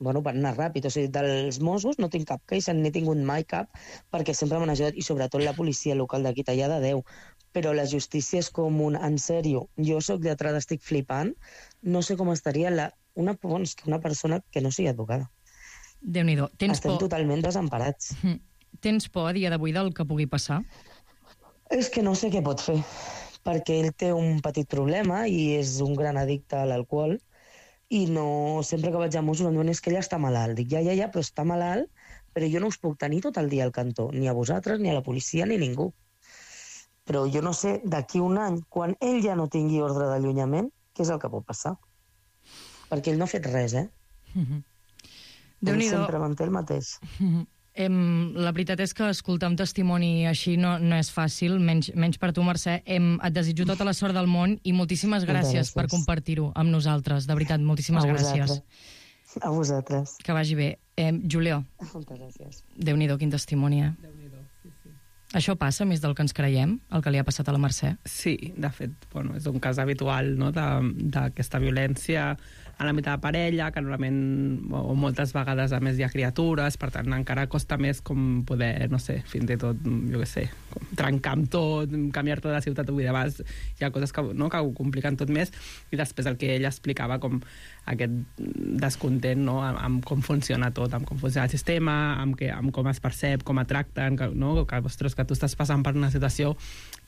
van anar ràpid. O sigui, dels Mossos no tinc cap queixa, n'he tingut mai cap, perquè sempre m'han ajudat, i sobretot la policia local d'aquí tallada 10. Però la justícia és com en sèrio, jo sóc lletrada, estic flipant, no sé com estaria una persona que no sigui advocada. Déu-n'hi-do. Estem totalment desemparats. Tens por a dia d'avui del que pugui passar? És que no sé què pot fer, perquè ell té un petit problema i és un gran addicte a l'alcohol, i no, sempre que vaig a Mossos em diuen és que ella està malalt. Dic, ja, però està malalt, però jo no us puc tenir tot el dia al cantó, ni a vosaltres, ni a la policia, ni ningú. Però jo no sé, d'aquí un any, quan ell ja no tingui ordre d'allunyament, què és el que pot passar? Perquè ell no ha fet res, Ell sempre manté el mateix. La veritat és que escoltar un testimoni així no és fàcil, menys per tu, Mercè. Et desitjo tota la sort del món i moltíssimes gràcies per compartir-ho amb nosaltres. De veritat, moltíssimes gràcies. A vosaltres. Que vagi bé. Julio. Moltes gràcies. Déu-n'hi-do, quin testimoni, Déu-n'hi-do, sí. Això passa més del que ens creiem, el que li ha passat a la Mercè? Sí, de fet, és un cas habitual, no?, d'aquesta violència en l'àmbit de la parella, que normalment, o moltes vegades, a més, hi ha criatures, per tant, encara costa més com poder, no sé, fins i tot, jo què sé, trencar amb tot, canviar-te de ciutat, vull dir, abans hi ha coses que ho compliquen tot més, i després el que ell explicava com aquest descontent, no?, amb com funciona tot, amb com funciona el sistema, amb com es percep, com et tracten, no?, que, ostres, que tu estàs passant per una situació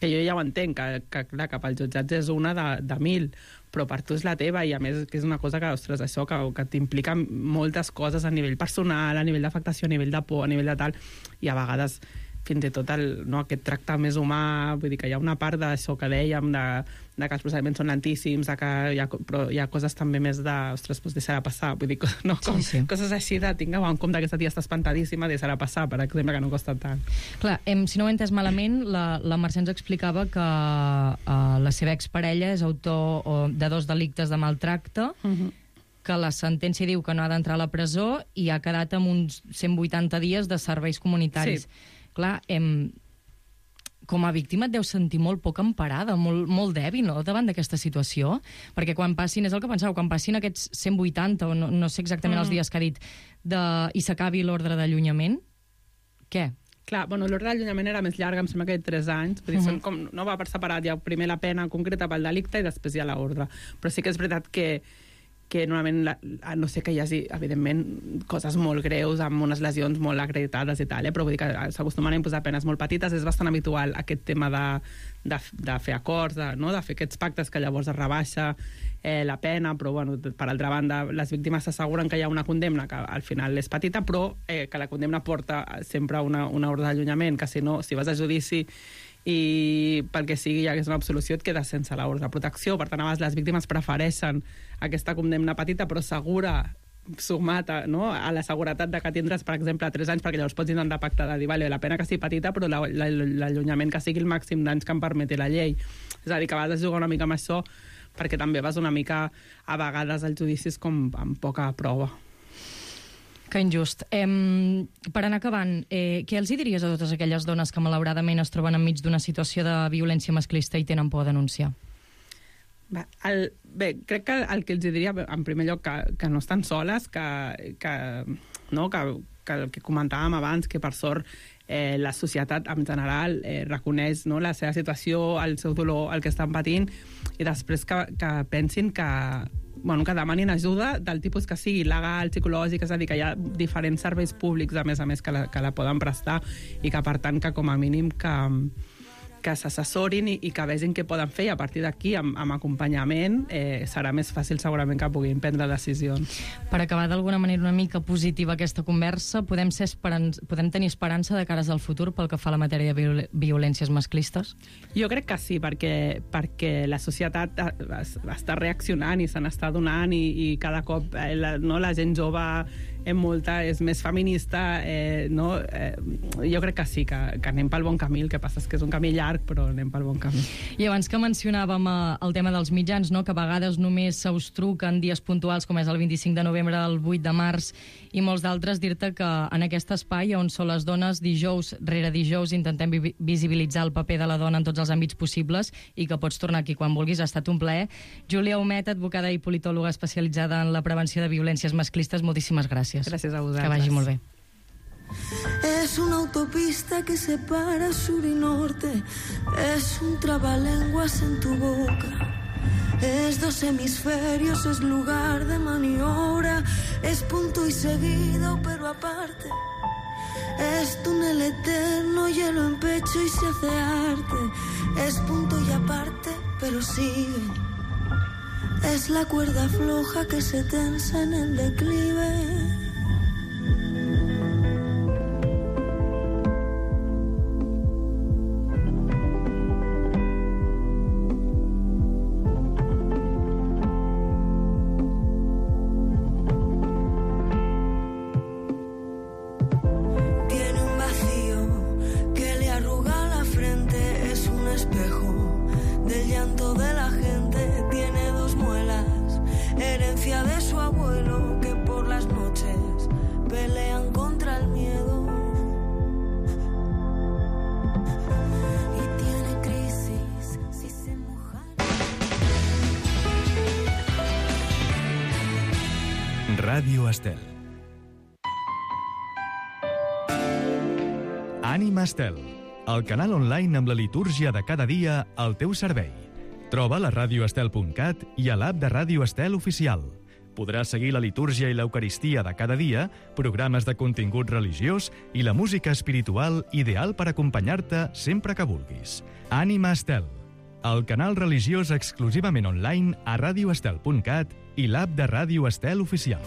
que jo ja ho entenc, que clar, que pels jutjats és una de 1000, però per tu és la teva, i a més que és una cosa que, ostres, això que t'implica moltes coses a nivell personal, a nivell d'afectació, a nivell de por, a nivell de tal, i a vegades fins i tot aquest tracte més humà, vull dir que hi ha una part d'això que dèiem, de que els procediments són lentíssims, però hi ha coses també més de, ostres, deixar-la passar, vull dir, no, coses així de tingueu en compte que aquesta tia està espantadíssima, deixar-la passar, per exemple, que no costa tant. Clar, si no ho he entès malament, la Mercè ens explicava que la seva exparella és autor de 2 delictes de maltracte, que la sentència diu que no ha d'entrar a la presó i ha quedat amb uns 180 dies de serveis comunitaris. Sí. Clar, com a víctima et deus sentir molt poc emparada, molt dèbil, no?, davant d'aquesta situació, perquè quan passin, és el que pensava, quan passin aquests 180, o no sé exactament els dies que ha dit, i s'acabi l'ordre d'allunyament, què? Clar, bueno, l'ordre d'allunyament era més llarga, em sembla que 3 anys, vull dir, són com, no va per separat, hi ha primer la pena concreta pel delicte i després hi ha l'ordre. Però sí que és veritat que normalment, no sé que hi hagi, evidentment, coses molt greus, amb unes lesions molt acreditades i tal, però vull dir que s'acostumen a imposar penes molt petites. És bastant habitual aquest tema de fer acords, de fer aquests pactes que llavors es rebaixa la pena, però, bueno, per altra banda, les víctimes s'asseguren que hi ha una condemna que al final és petita, però que la condemna porta sempre una ordre d'allunyament, que si no, si vas a judici i pel que sigui hi hagués una absolució et quedes sense l'ordre de protecció. Per tant, a vegades les víctimes prefereixen aquesta condemna petita però segura, sumat a la seguretat de que tindràs, per exemple, 3 anys, perquè llavors pots intentar pactar de dir, vale, la pena que sigui petita però l'allunyament que sigui el màxim d'anys que em permeti la llei. És a dir, que a vegades jugar una mica amb això perquè també vas una mica a vegades als judicis com amb poca prova. Que injust. Per anar acabant, què els diries a totes aquelles dones que malauradament es troben enmig d'una situació de violència masclista i tenen por a denunciar? Bé, crec que el que els diria, en primer lloc, que no estan soles, que el que comentàvem abans, que per sort la societat en general reconeix la seva situació, el seu dolor, el que estan patint, i després que pensin que demanin ajuda del tipus que sigui legal, psicològic, és a dir, que hi ha diferents serveis públics, a més que la poden prestar, i que, per tant, que com a mínim que s'assessorin i que vegin què poden fer, i a partir d'aquí, amb acompanyament, serà més fàcil segurament que puguin prendre decisions. Per acabar d'alguna manera una mica positiva aquesta conversa, podem tenir esperança de cares al futur pel que fa a la matèria de violències masclistes? Jo crec que sí, perquè la societat està reaccionant i se n'està donant, i cada cop la gent jove és més feminista, jo crec que sí, que anem pel bon camí. El que passa és que és un camí llarg, però anem pel bon camí. I abans que mencionàvem el tema dels mitjans, que a vegades només se us truquen dies puntuals, com és el 25 de novembre, el 8 de març, i molts d'altres, dir-te que en aquest espai on són les dones, dijous rere dijous intentem visibilitzar el paper de la dona en tots els àmbits possibles, i que pots tornar aquí quan vulguis. Ha estat un plaer. Júlia Humet, advocada i politòloga especialitzada en la prevenció de violències masclistes, moltíssimes gràcies. Gràcies a vosaltres. Que vagi molt bé. Es una autopista que separa sur y norte, es un trabalenguas en tu boca, es 2 hemisferios, es lugar de maniobra, es punto y seguido pero aparte, es túnel eterno, hielo en pecho y se hace arte, es punto y aparte pero sigue, es la cuerda floja que se tensa en el declive. Ràdio Estel. Ànima Estel, el canal online amb la litúrgia de cada dia al teu servei. Troba a radioestel.cat i a l'app de Ràdio Estel oficial. Podràs seguir la litúrgia i l'eucaristia de cada dia, programes de contingut religiós i la música espiritual ideal per acompanyar-te sempre que vulguis. Ànima Estel, el canal religiós exclusivament online a radioestel.cat i l'app de Ràdio Estel oficial.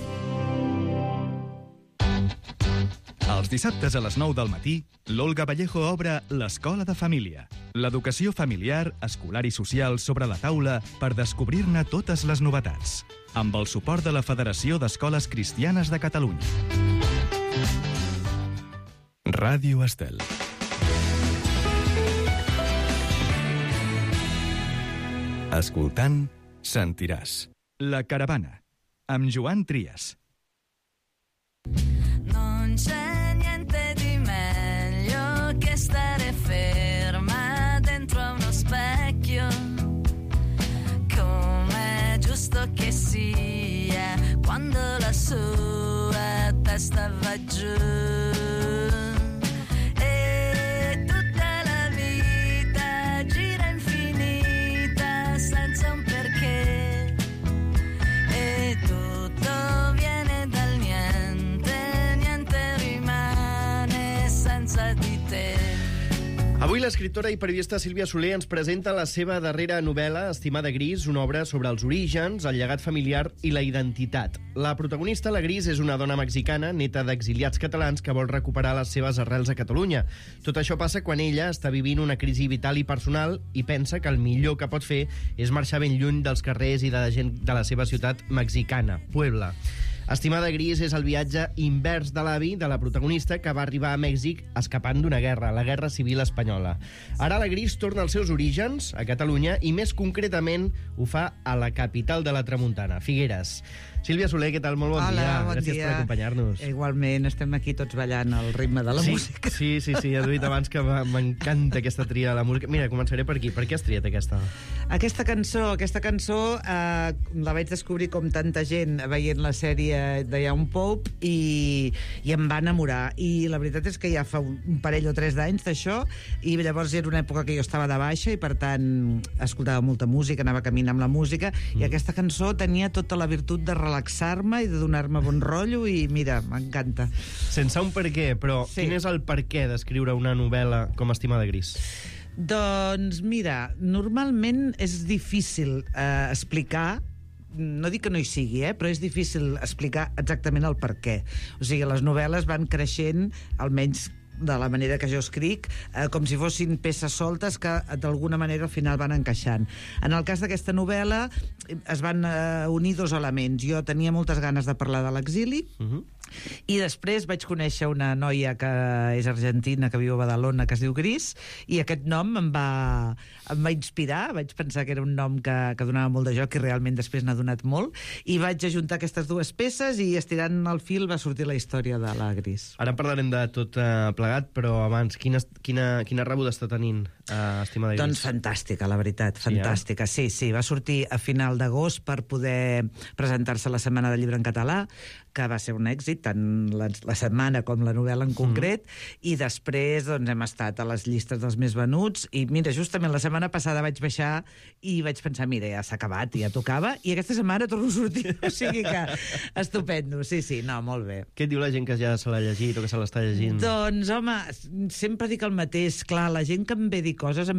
Els dissabtes a les 9 del matí, l'Olga Vallejo obre l'Escola de Família. L'educació familiar, escolar i social sobre la taula per descobrir-ne totes les novetats. Amb el suport de la Federació d'Escoles Cristianes de Catalunya. Ràdio Estel. Escoltant, sentiràs. La caravana, amb Joan Trias. Non c'è niente di meglio che stare ferma viatge. Tutta la vita gira infinita senza un perché. Tutto viene dal niente, niente rimane senza di te. Avui l'escriptora i periodista Sílvia Soler ens presenta la seva darrera novel·la, Estimada Gris, una obra sobre els orígens, el llegat familiar i la identitat. La protagonista, la Gris, és una dona mexicana, neta d'exiliats catalans, que vol recuperar les seves arrels a Catalunya. Tot això passa quan ella està vivint una crisi vital i personal i pensa que el millor que pot fer és marxar ben lluny dels carrers i de la gent de la seva ciutat mexicana, Puebla. Estimada Gris és el viatge invers de l'avi de la protagonista, que va arribar a Mèxic escapant d'una guerra, la Guerra Civil Espanyola. Ara la Gris torna als seus orígens, a Catalunya, i més concretament ho fa a la capital de la Tramuntana, Figueres. Sílvia Soler, què tal? Molt bon dia. Bon Gràcies dia. per acompanyar-nos. Igualment, estem aquí tots ballant al ritme de la música. Sí, ja t'ho he dit abans que m'encanta aquesta tria de la música. Mira, començaré per aquí. Per què has triat aquesta? Aquesta cançó la vaig descobrir com tanta gent veient la sèrie de Young Pope i em va enamorar. I la veritat és que ja fa un parell o 3 d'anys d'això, i llavors era una època que jo estava de baixa i per tant escoltava molta música, anava caminant amb la música, i aquesta cançó tenia tota la virtut de relaxar-me i de donar-me bon rotllo, i mira, m'encanta. Sense un per què, però quin és el per què d'escriure una novel·la com Estimada Gris? Doncs mira, normalment és difícil explicar, no dic que no hi sigui, però és difícil explicar exactament el per què. O sigui, les novel·les van creixent, almenys de la manera que jo escric, com si fossin peces soltes que d'alguna manera al final van encaixant. En el cas d'aquesta novel·la es van unir 2 elements. Jo tenia moltes ganes de parlar de l'exili, i després vaig conèixer una noia que és argentina, que viu a Badalona, que es diu Gris, i aquest nom em va inspirar. Vaig pensar que era un nom que donava molt de joc, i realment després n'ha donat molt, i vaig ajuntar aquestes 2 peces i estirant el fil va sortir la història de la Gris. Ara parlarem de tot plegat, però abans, quina rebuda està tenint Estimada Gris? Doncs fantàstica, la veritat, fantàstica. Sí, va sortir a final d'agost per poder presentar-se a la Setmana del Llibre en Català, que va ser un èxit, tant la setmana com la novel·la en concret, i després doncs, hem estat a les llistes dels més venuts, i mira, justament la setmana passada vaig baixar i vaig pensar, mira, ja s'ha acabat, ja tocava, i aquesta setmana torno a sortir, o sigui que estupendo, sí, no, molt bé. Què et diu la gent que ja se l'ha llegit o que se l'està llegint? Doncs, home, sempre dic el mateix. Clar, la gent que em ve dir coses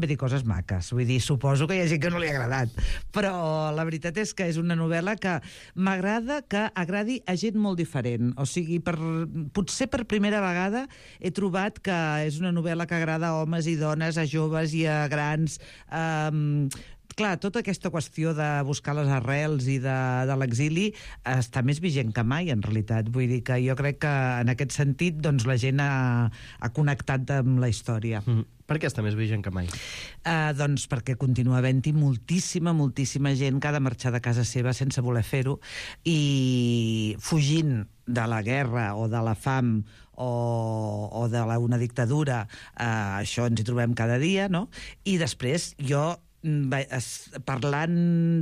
maques. Vull dir, suposo que hi ha gent que no li ha agradat, però la veritat és que és una novel·la que m'agrada que agradi a gent molt diferent. O sigui, potser per primera vegada he trobat que és una novel·la que agrada a homes i dones, a joves i a grans. Clar, tota aquesta qüestió de buscar les arrels i de l'exili està més vigent que mai, en realitat. Vull dir que jo crec que en aquest sentit doncs, la gent ha connectat amb la història. Per què està més vigent que mai? Doncs perquè continua havent-hi moltíssima gent que ha de marxar de casa seva sense voler fer-ho, i fugint de la guerra o de la fam o d'una dictadura. Això ens hi trobem cada dia, no? I després jo, parlant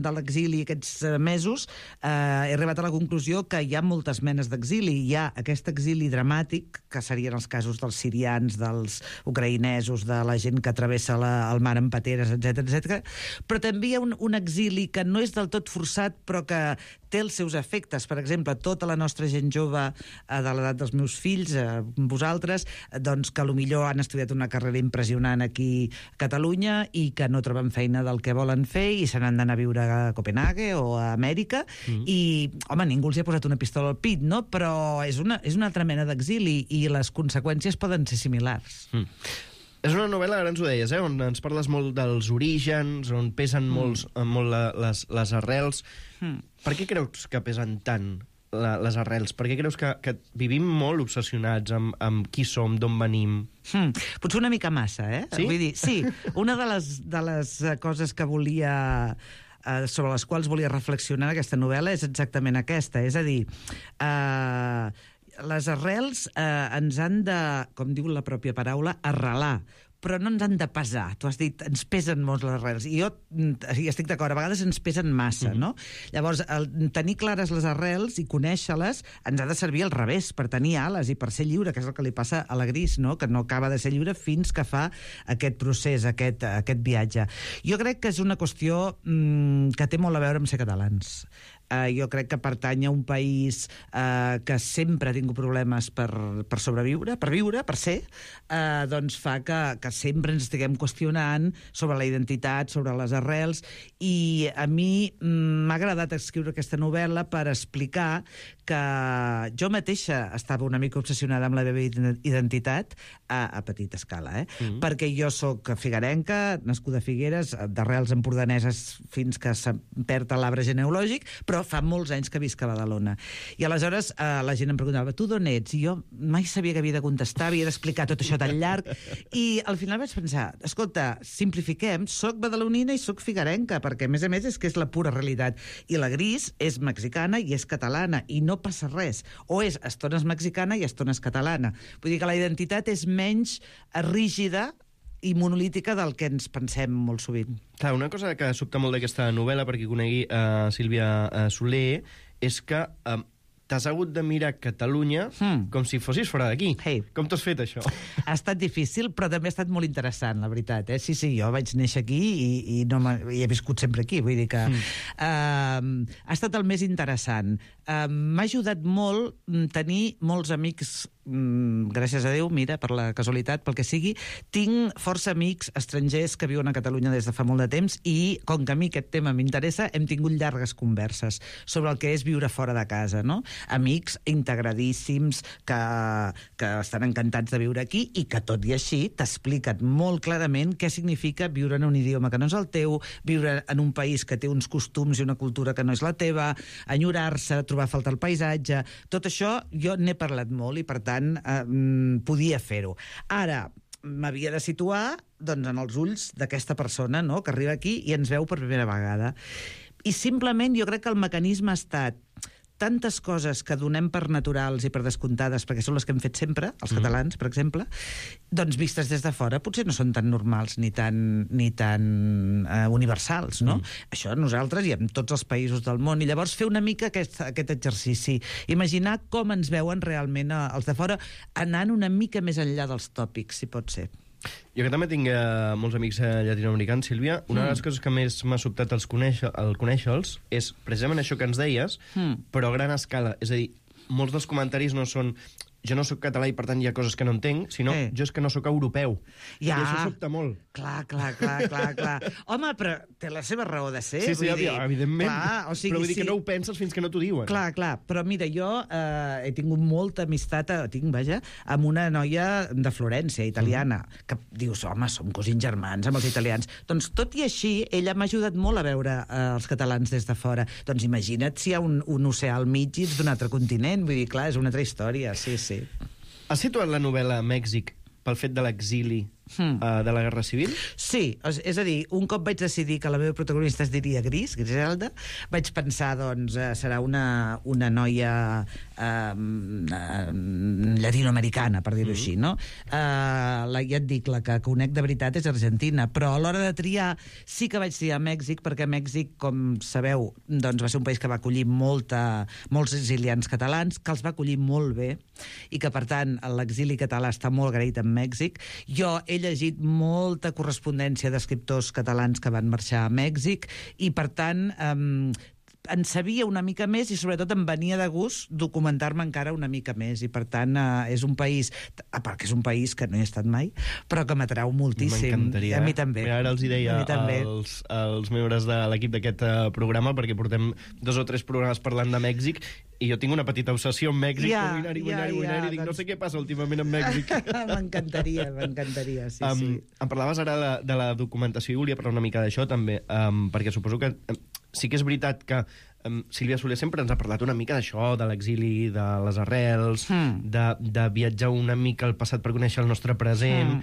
de l'exili aquests mesos, he arribat a la conclusió que hi ha moltes menes d'exili. Hi ha aquest exili dramàtic, que serien els casos dels sirians, dels ucraïnesos, de la gent que travessa el mar en pateres, etc. Però també hi ha un exili que no és del tot forçat, però que té els seus efectes. Per exemple, tota la nostra gent jove de l'edat dels meus fills, vosaltres, doncs que potser han estudiat una carrera impressionant aquí a Catalunya i que no troben feina del que volen fer i se n'han d'anar a viure a Copenhague o a Amèrica, i, home, ningú els hi ha posat una pistola al pit, no? Però és una altra mena d'exili i les conseqüències poden ser similars. És una novel·la, ara ens ho deies, on ens parles molt dels orígens, on pesen molt les arrels. Per què creus que pesen tant les arrels? Per què creus que vivim molt obsessionats amb qui som, d'on venim? Potser una mica massa, Sí? Vull dir, sí, una de les coses que volia sobre les quals volia reflexionar en aquesta novel·la és exactament aquesta, és a dir, les arrels ens han de, com diu la pròpia paraula, arrelar, però no ens han de pesar. Tu has dit, ens pesen molt les arrels. I jo hi estic d'acord, a vegades ens pesen massa, no? Llavors, tenir clares les arrels i conèixer-les ens ha de servir al revés, per tenir ales i per ser lliure, que és el que li passa a la Gris, no? Que no acaba de ser lliure fins que fa aquest procés, aquest viatge. Jo crec que és una qüestió que té molt a veure amb ser catalans. Jo crec que pertany a un país que sempre ha tingut problemes per sobreviure, per viure, per ser, doncs fa que sempre ens estiguem qüestionant sobre la identitat, sobre les arrels, i a mi m'ha agradat escriure aquesta novel·la per explicar que jo mateixa estava una mica obsessionada amb la meva identitat a petita escala, perquè jo sóc figuerenca, nascuda a Figueres, d'arrels empordaneses fins que se perd l'arbre genealògic, però fa molts anys que visc a Badalona. I aleshores la gent em preguntava, tu d'on ets? I jo mai sabia que havia de contestar, havia d'explicar tot això tan llarg, i al final vaig pensar, escolta, simplifiquem, soc badalonina i soc figuerenca, perquè a més és que és la pura realitat. I la Gris és mexicana i és catalana, i no passa res. O és estones mexicana i estones catalana. Vull dir que la identitat és menys rígida i monolítica del que ens pensem molt sovint. Clar, una cosa que sobta molt d'aquesta novel·la, perquè conegui Sílvia Soler, és que t'has hagut de mirar Catalunya com si fossis fora d'aquí. Com t'has fet, això? Ha estat difícil, però també ha estat molt interessant, la veritat. Sí, jo vaig néixer aquí i he viscut sempre aquí. Vull dir que ha estat el més interessant. M'ha ajudat molt tenir molts amics, gràcies a Déu, mira, per la casualitat, pel que sigui. Tinc força amics estrangers que viuen a Catalunya des de fa molt de temps i, com que a mi aquest tema m'interessa, hem tingut llargues converses sobre el que és viure fora de casa, no? Amics integradíssims que estan encantats de viure aquí i que, tot i així, t'expliquen molt clarament què significa viure en un idioma que no és el teu, viure en un país que té uns costums i una cultura que no és la teva, enyorar-se, trobar a faltar el paisatge. Tot això jo n'he parlat molt i, per tant, podia fer-ho. Ara, m'havia de situar doncs, en els ulls d'aquesta persona, no?, que arriba aquí i ens veu per primera vegada. I simplement jo crec que el mecanisme ha estat tantes coses que donem per naturals i per descomptades, perquè són les que hem fet sempre, els catalans, per exemple, doncs vistes des de fora potser no són tan normals ni tan universals, no? Això nosaltres i en tots els països del món. I llavors fer una mica aquest exercici. Imaginar com ens veuen realment els de fora, anant una mica més enllà dels tòpics, si pot ser. Jo que també tinc molts amics llatinoamericans, Sílvia, una de les coses que més m'ha sobtat al conèixer-los és precisament això que ens deies, però a gran escala. És a dir, molts dels comentaris no són jo no sóc català i per tant hi ha coses que no entenc, sinó jo és que no sóc europeu. I això sobta molt. Clar. Home, però té la seva raó de ser. Sí, evidentment. Però vull dir que no ho penses fins que no t'ho diuen. Clar. Però mira, jo he tingut molta amistat, amb una noia de Florència, italiana, que dius, home, som cosins germans amb els italians. Doncs tot i així, ella m'ha ajudat molt a veure els catalans des de fora. Doncs imagina't si hi ha un oceà al mig i ets d'un altre continent. Vull dir, clar, és una altra història, sí. Has situat la novel·la a Mèxic pel fet de l'exili de la Guerra Civil? Sí, és a dir, un cop vaig decidir que la meva protagonista es diria Griselda, vaig pensar, doncs, serà una noia llatinoamericana, per dir-ho així, no? Ja et dic, la que conec de veritat és Argentina, però a l'hora de triar sí que vaig triar Mèxic, perquè Mèxic, com sabeu, doncs va ser un país que va acollir molts exiliats catalans, que els va acollir molt bé, i que, per tant, l'exili català està molt agraït en Mèxic. Jo he llegit molta correspondència d'escriptors catalans que van marxar a Mèxic i, per tant, en sabia una mica més i, sobretot, em venia de gust documentar-me encara una mica més. I, per tant, és un país, a part que és un país que no he estat mai, però que m'atrau moltíssim. M'encantaria. A mi també. Ara els hi deia als membres de l'equip d'aquest programa, perquè portem 2 o 3 programes parlant de Mèxic, i jo tinc una petita obsessió amb Mèxic, vull anar-hi, dic, no sé què passa últimament amb Mèxic. M'encantaria, sí. Em parlaves ara de la documentació i volia parlar una mica d'això també, perquè suposo que sí que és veritat que Sílvia Soler sempre ens ha parlat una mica d'això, de l'exili, de les arrels, de viatjar una mica al passat per conèixer el nostre present.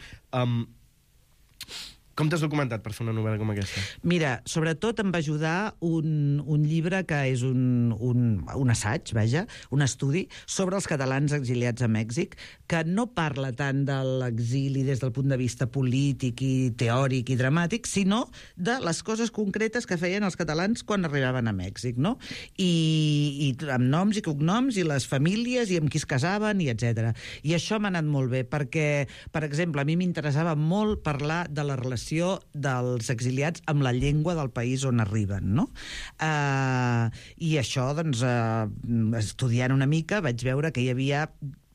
Com t'has documentat per fer una novel·la com aquesta? Mira, sobretot em va ajudar un llibre que és un assaig, vaja, un estudi sobre els catalans exiliats a Mèxic, que no parla tant de l'exili des del punt de vista polític i teòric i dramàtic, sinó de les coses concretes que feien els catalans quan arribaven a Mèxic, no? I amb noms i cognoms, i les famílies, i amb qui es casaven, i etc. I això m'ha anat molt bé, perquè, per exemple, a mi m'interessava molt parlar de la relació dels exiliats amb la llengua del país on arriben, no? I això, doncs, estudiant una mica, vaig veure que hi havia,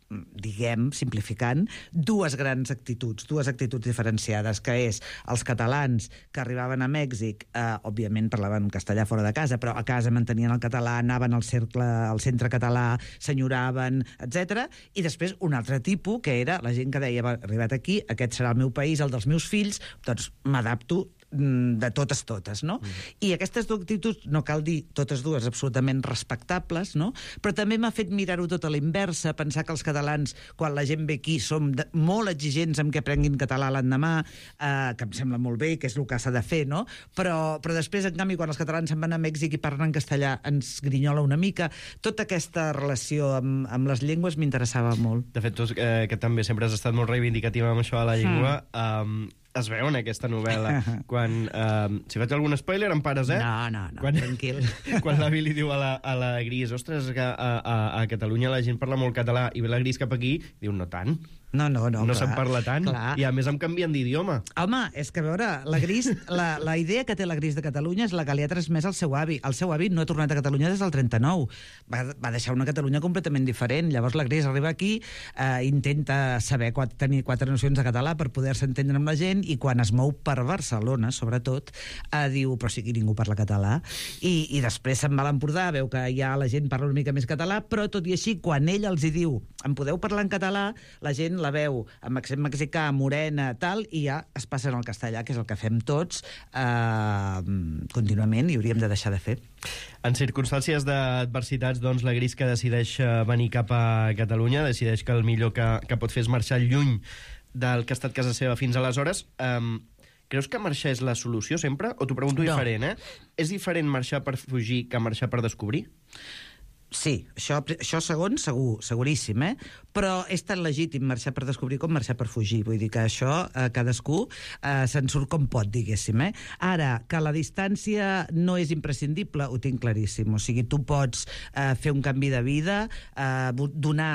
diguem, simplificant, dues actituds diferenciades, que és els catalans que arribaven a Mèxic, òbviament parlaven castellà fora de casa, però a casa mantenien el català, anaven al centre català, s'enyoraven, etc. I després un altre tipus, que era la gent que deia, arribat aquí, aquest serà el meu país, el dels meus fills, doncs m'adapto de totes, no? I aquestes dues actituds, no cal dir totes dues absolutament respectables, no? Però també m'ha fet mirar-ho tot a l'inversa, pensar que els catalans, quan la gent ve aquí, som molt exigents amb que aprenguin català l'endemà, que em sembla molt bé, que és el que s'ha de fer, no? Però després, en canvi, quan els catalans se'n van a Mèxic i parlen en castellà, ens grinyola una mica. Tota aquesta relació amb les llengües m'interessava molt. De fet, tu, que també sempre has estat molt reivindicativa amb això de la llengua, es veu en aquesta novel·la. Quan, si faig algun spoiler, em pares, eh? No, tranquil. Quan l'avi li diu a la Gris, ostres, que a Catalunya la gent parla molt català, i ve la Gris cap aquí, diu, no tant. No, no se'n parla tant. Clar. I a més em canvien d'idioma. Home, és que a veure, la Gris, la idea que té la Gris de Catalunya és la que li ha transmès al seu avi. El seu avi no ha tornat a Catalunya des del 39. Va deixar una Catalunya completament diferent. Llavors la Gris arriba aquí, intenta saber tenir 4 nocions de català per poder-se entendre amb la gent, i quan es mou per Barcelona, sobretot, diu, però sí que ningú parla català. I després se'n va a l'Empordà, veu que ja la gent parla una mica més català, però tot i així, quan ell els hi diu, em podeu parlar en català, la gent la veu amb accent mexicà, morena, tal, i ja es passen al castellà, que és el que fem tots contínuament, i hauríem de deixar de fer. En circumstàncies d'adversitats, doncs, la Gris, que decideix venir cap a Catalunya, decideix que el millor que pot fer és marxar lluny del que ha estat casa seva fins aleshores. Creus que marxar és la solució sempre? O t'ho pregunto diferent, És diferent marxar per fugir que marxar per descobrir? Sí, això segon, seguríssim, però és tan legítim marxar per descobrir com marxar per fugir. Vull dir que això cadascú se'n surt com pot, diguéssim. Ara, que la distància no és imprescindible, ho tinc claríssim. O sigui, tu pots fer un canvi de vida,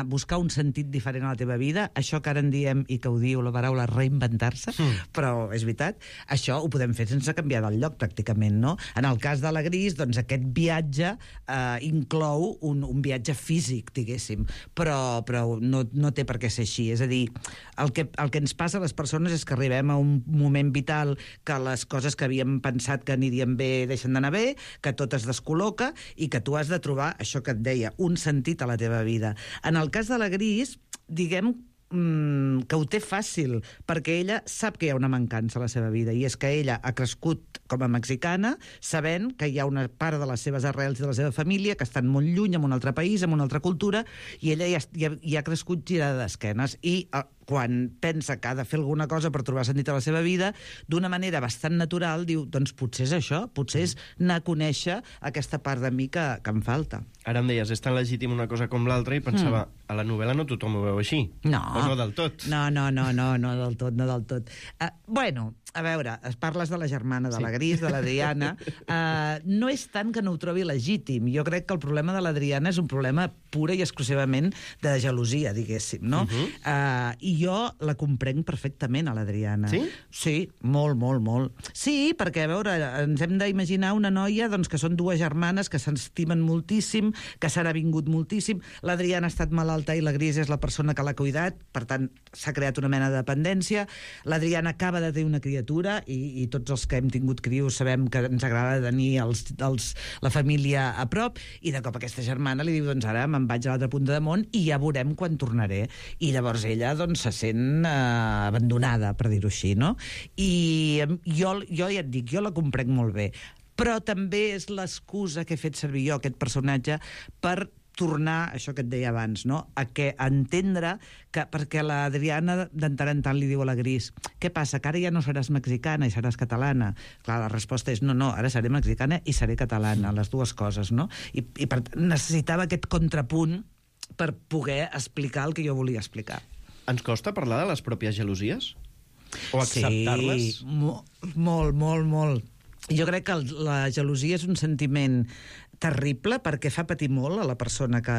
buscar un sentit diferent a la teva vida, això que ara en diem, i que ho diu la paraula reinventar-se, però és veritat, això ho podem fer sense canviar del lloc, pràcticament, no? En el cas de la Gris, doncs aquest viatge inclou un viatge físic, diguéssim, però no té per què ser així. És a dir, el que ens passa a les persones és que arribem a un moment vital que les coses que havíem pensat que anirien bé deixen d'anar bé, que tot es descol·loca i que tu has de trobar, això que et deia, un sentit a la teva vida. En el cas de la Gris, diguem que ho té fàcil, perquè ella sap que hi ha una mancança a la seva vida, i és que ella ha crescut com a mexicana sabent que hi ha una part de les seves arrels i de la seva família que estan molt lluny, en un altre país, en una altra cultura, i ella ja ha crescut girada d'esquenes, i quan pensa que ha de fer alguna cosa per trobar sentit a la seva vida, d'una manera bastant natural diu, doncs potser és això, potser és anar a conèixer aquesta part de mi que em falta. Ara em deies, és tan legítim una cosa com l'altra, i pensava, a la novel·la no tothom ho veu així. No. O no del tot. No del tot. Bueno, a veure, parles de la germana, de la Gris, de l'Adriana. No és tant que no ho trobi legítim. Jo crec que el problema de l'Adriana és un problema pura i exclusivament de gelosia, diguéssim, no? I jo la comprenc perfectament, a l'Adriana. Sí? Sí, molt. Sí, perquè, a veure, ens hem d'imaginar una noia doncs, que són dues germanes que s'estimen moltíssim, que s'han avingut moltíssim. L'Adriana ha estat malalta i la Gris és la persona que l'ha cuidat, per tant, s'ha creat una mena de dependència. L'Adriana acaba de tenir una criatura i tots els que hem tingut crios sabem que ens agrada tenir la família a prop, i de cop aquesta germana li diu, doncs ara me'n vaig a l'altra punta de món i ja veurem quan tornaré. I llavors ella doncs, se sent abandonada, per dir-ho així, no? I jo ja et dic, jo la comprenc molt bé, però també és l'excusa que he fet servir jo, aquest personatge, per tornar, això que et deia abans, no? A entendre que, perquè l'Adriana de tant en tant li diu a la Gris, què passa, que ara ja no seràs mexicana i seràs catalana? Clar, la resposta és no, ara seré mexicana i seré catalana, les dues coses, no? I per tant, necessitava aquest contrapunt per poder explicar el que jo volia explicar. Ens costa parlar de les pròpies gelosies? O acceptar-les? Sí, molt. Jo crec que la gelosia és un sentiment terrible perquè fa patir molt a la persona que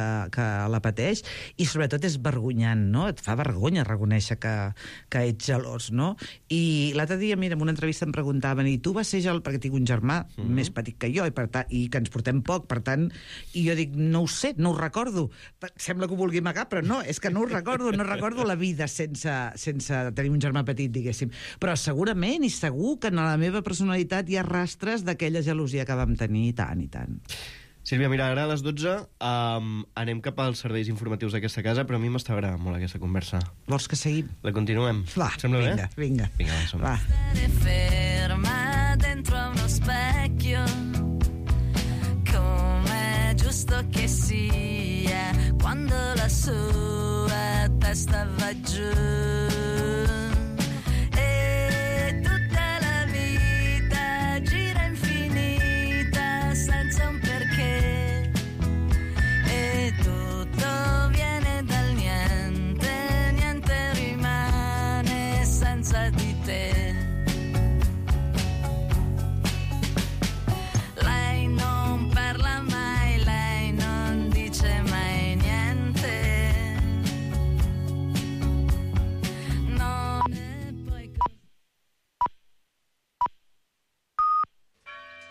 la pateix i sobretot és vergonyant, no? Et fa vergonya reconèixer que ets gelós, no? I l'altre dia, mira, en una entrevista em preguntaven i tu vas ser gelós, perquè tinc un germà més petit que jo i que ens portem poc, per tant, i jo dic, no ho sé, no ho recordo. Sembla que ho vulgui amagar, però no, és que no ho recordo, no recordo la vida sense tenir un germà petit, diguéssim. Però segurament i segur que en la meva personalitat hi ha rastres d'aquella gelosia que vam tenir i tant. Sílvia, mira, ara a les 12 anem cap als serveis informatius d'aquesta casa, però a mi m'està agradant molt aquesta conversa. Vols que seguim? La continuem. Va, sembla vinga, bé? Vinga, va. Ferma dentro a uno specchio, come giusto che sia, quando la sua testa va giù.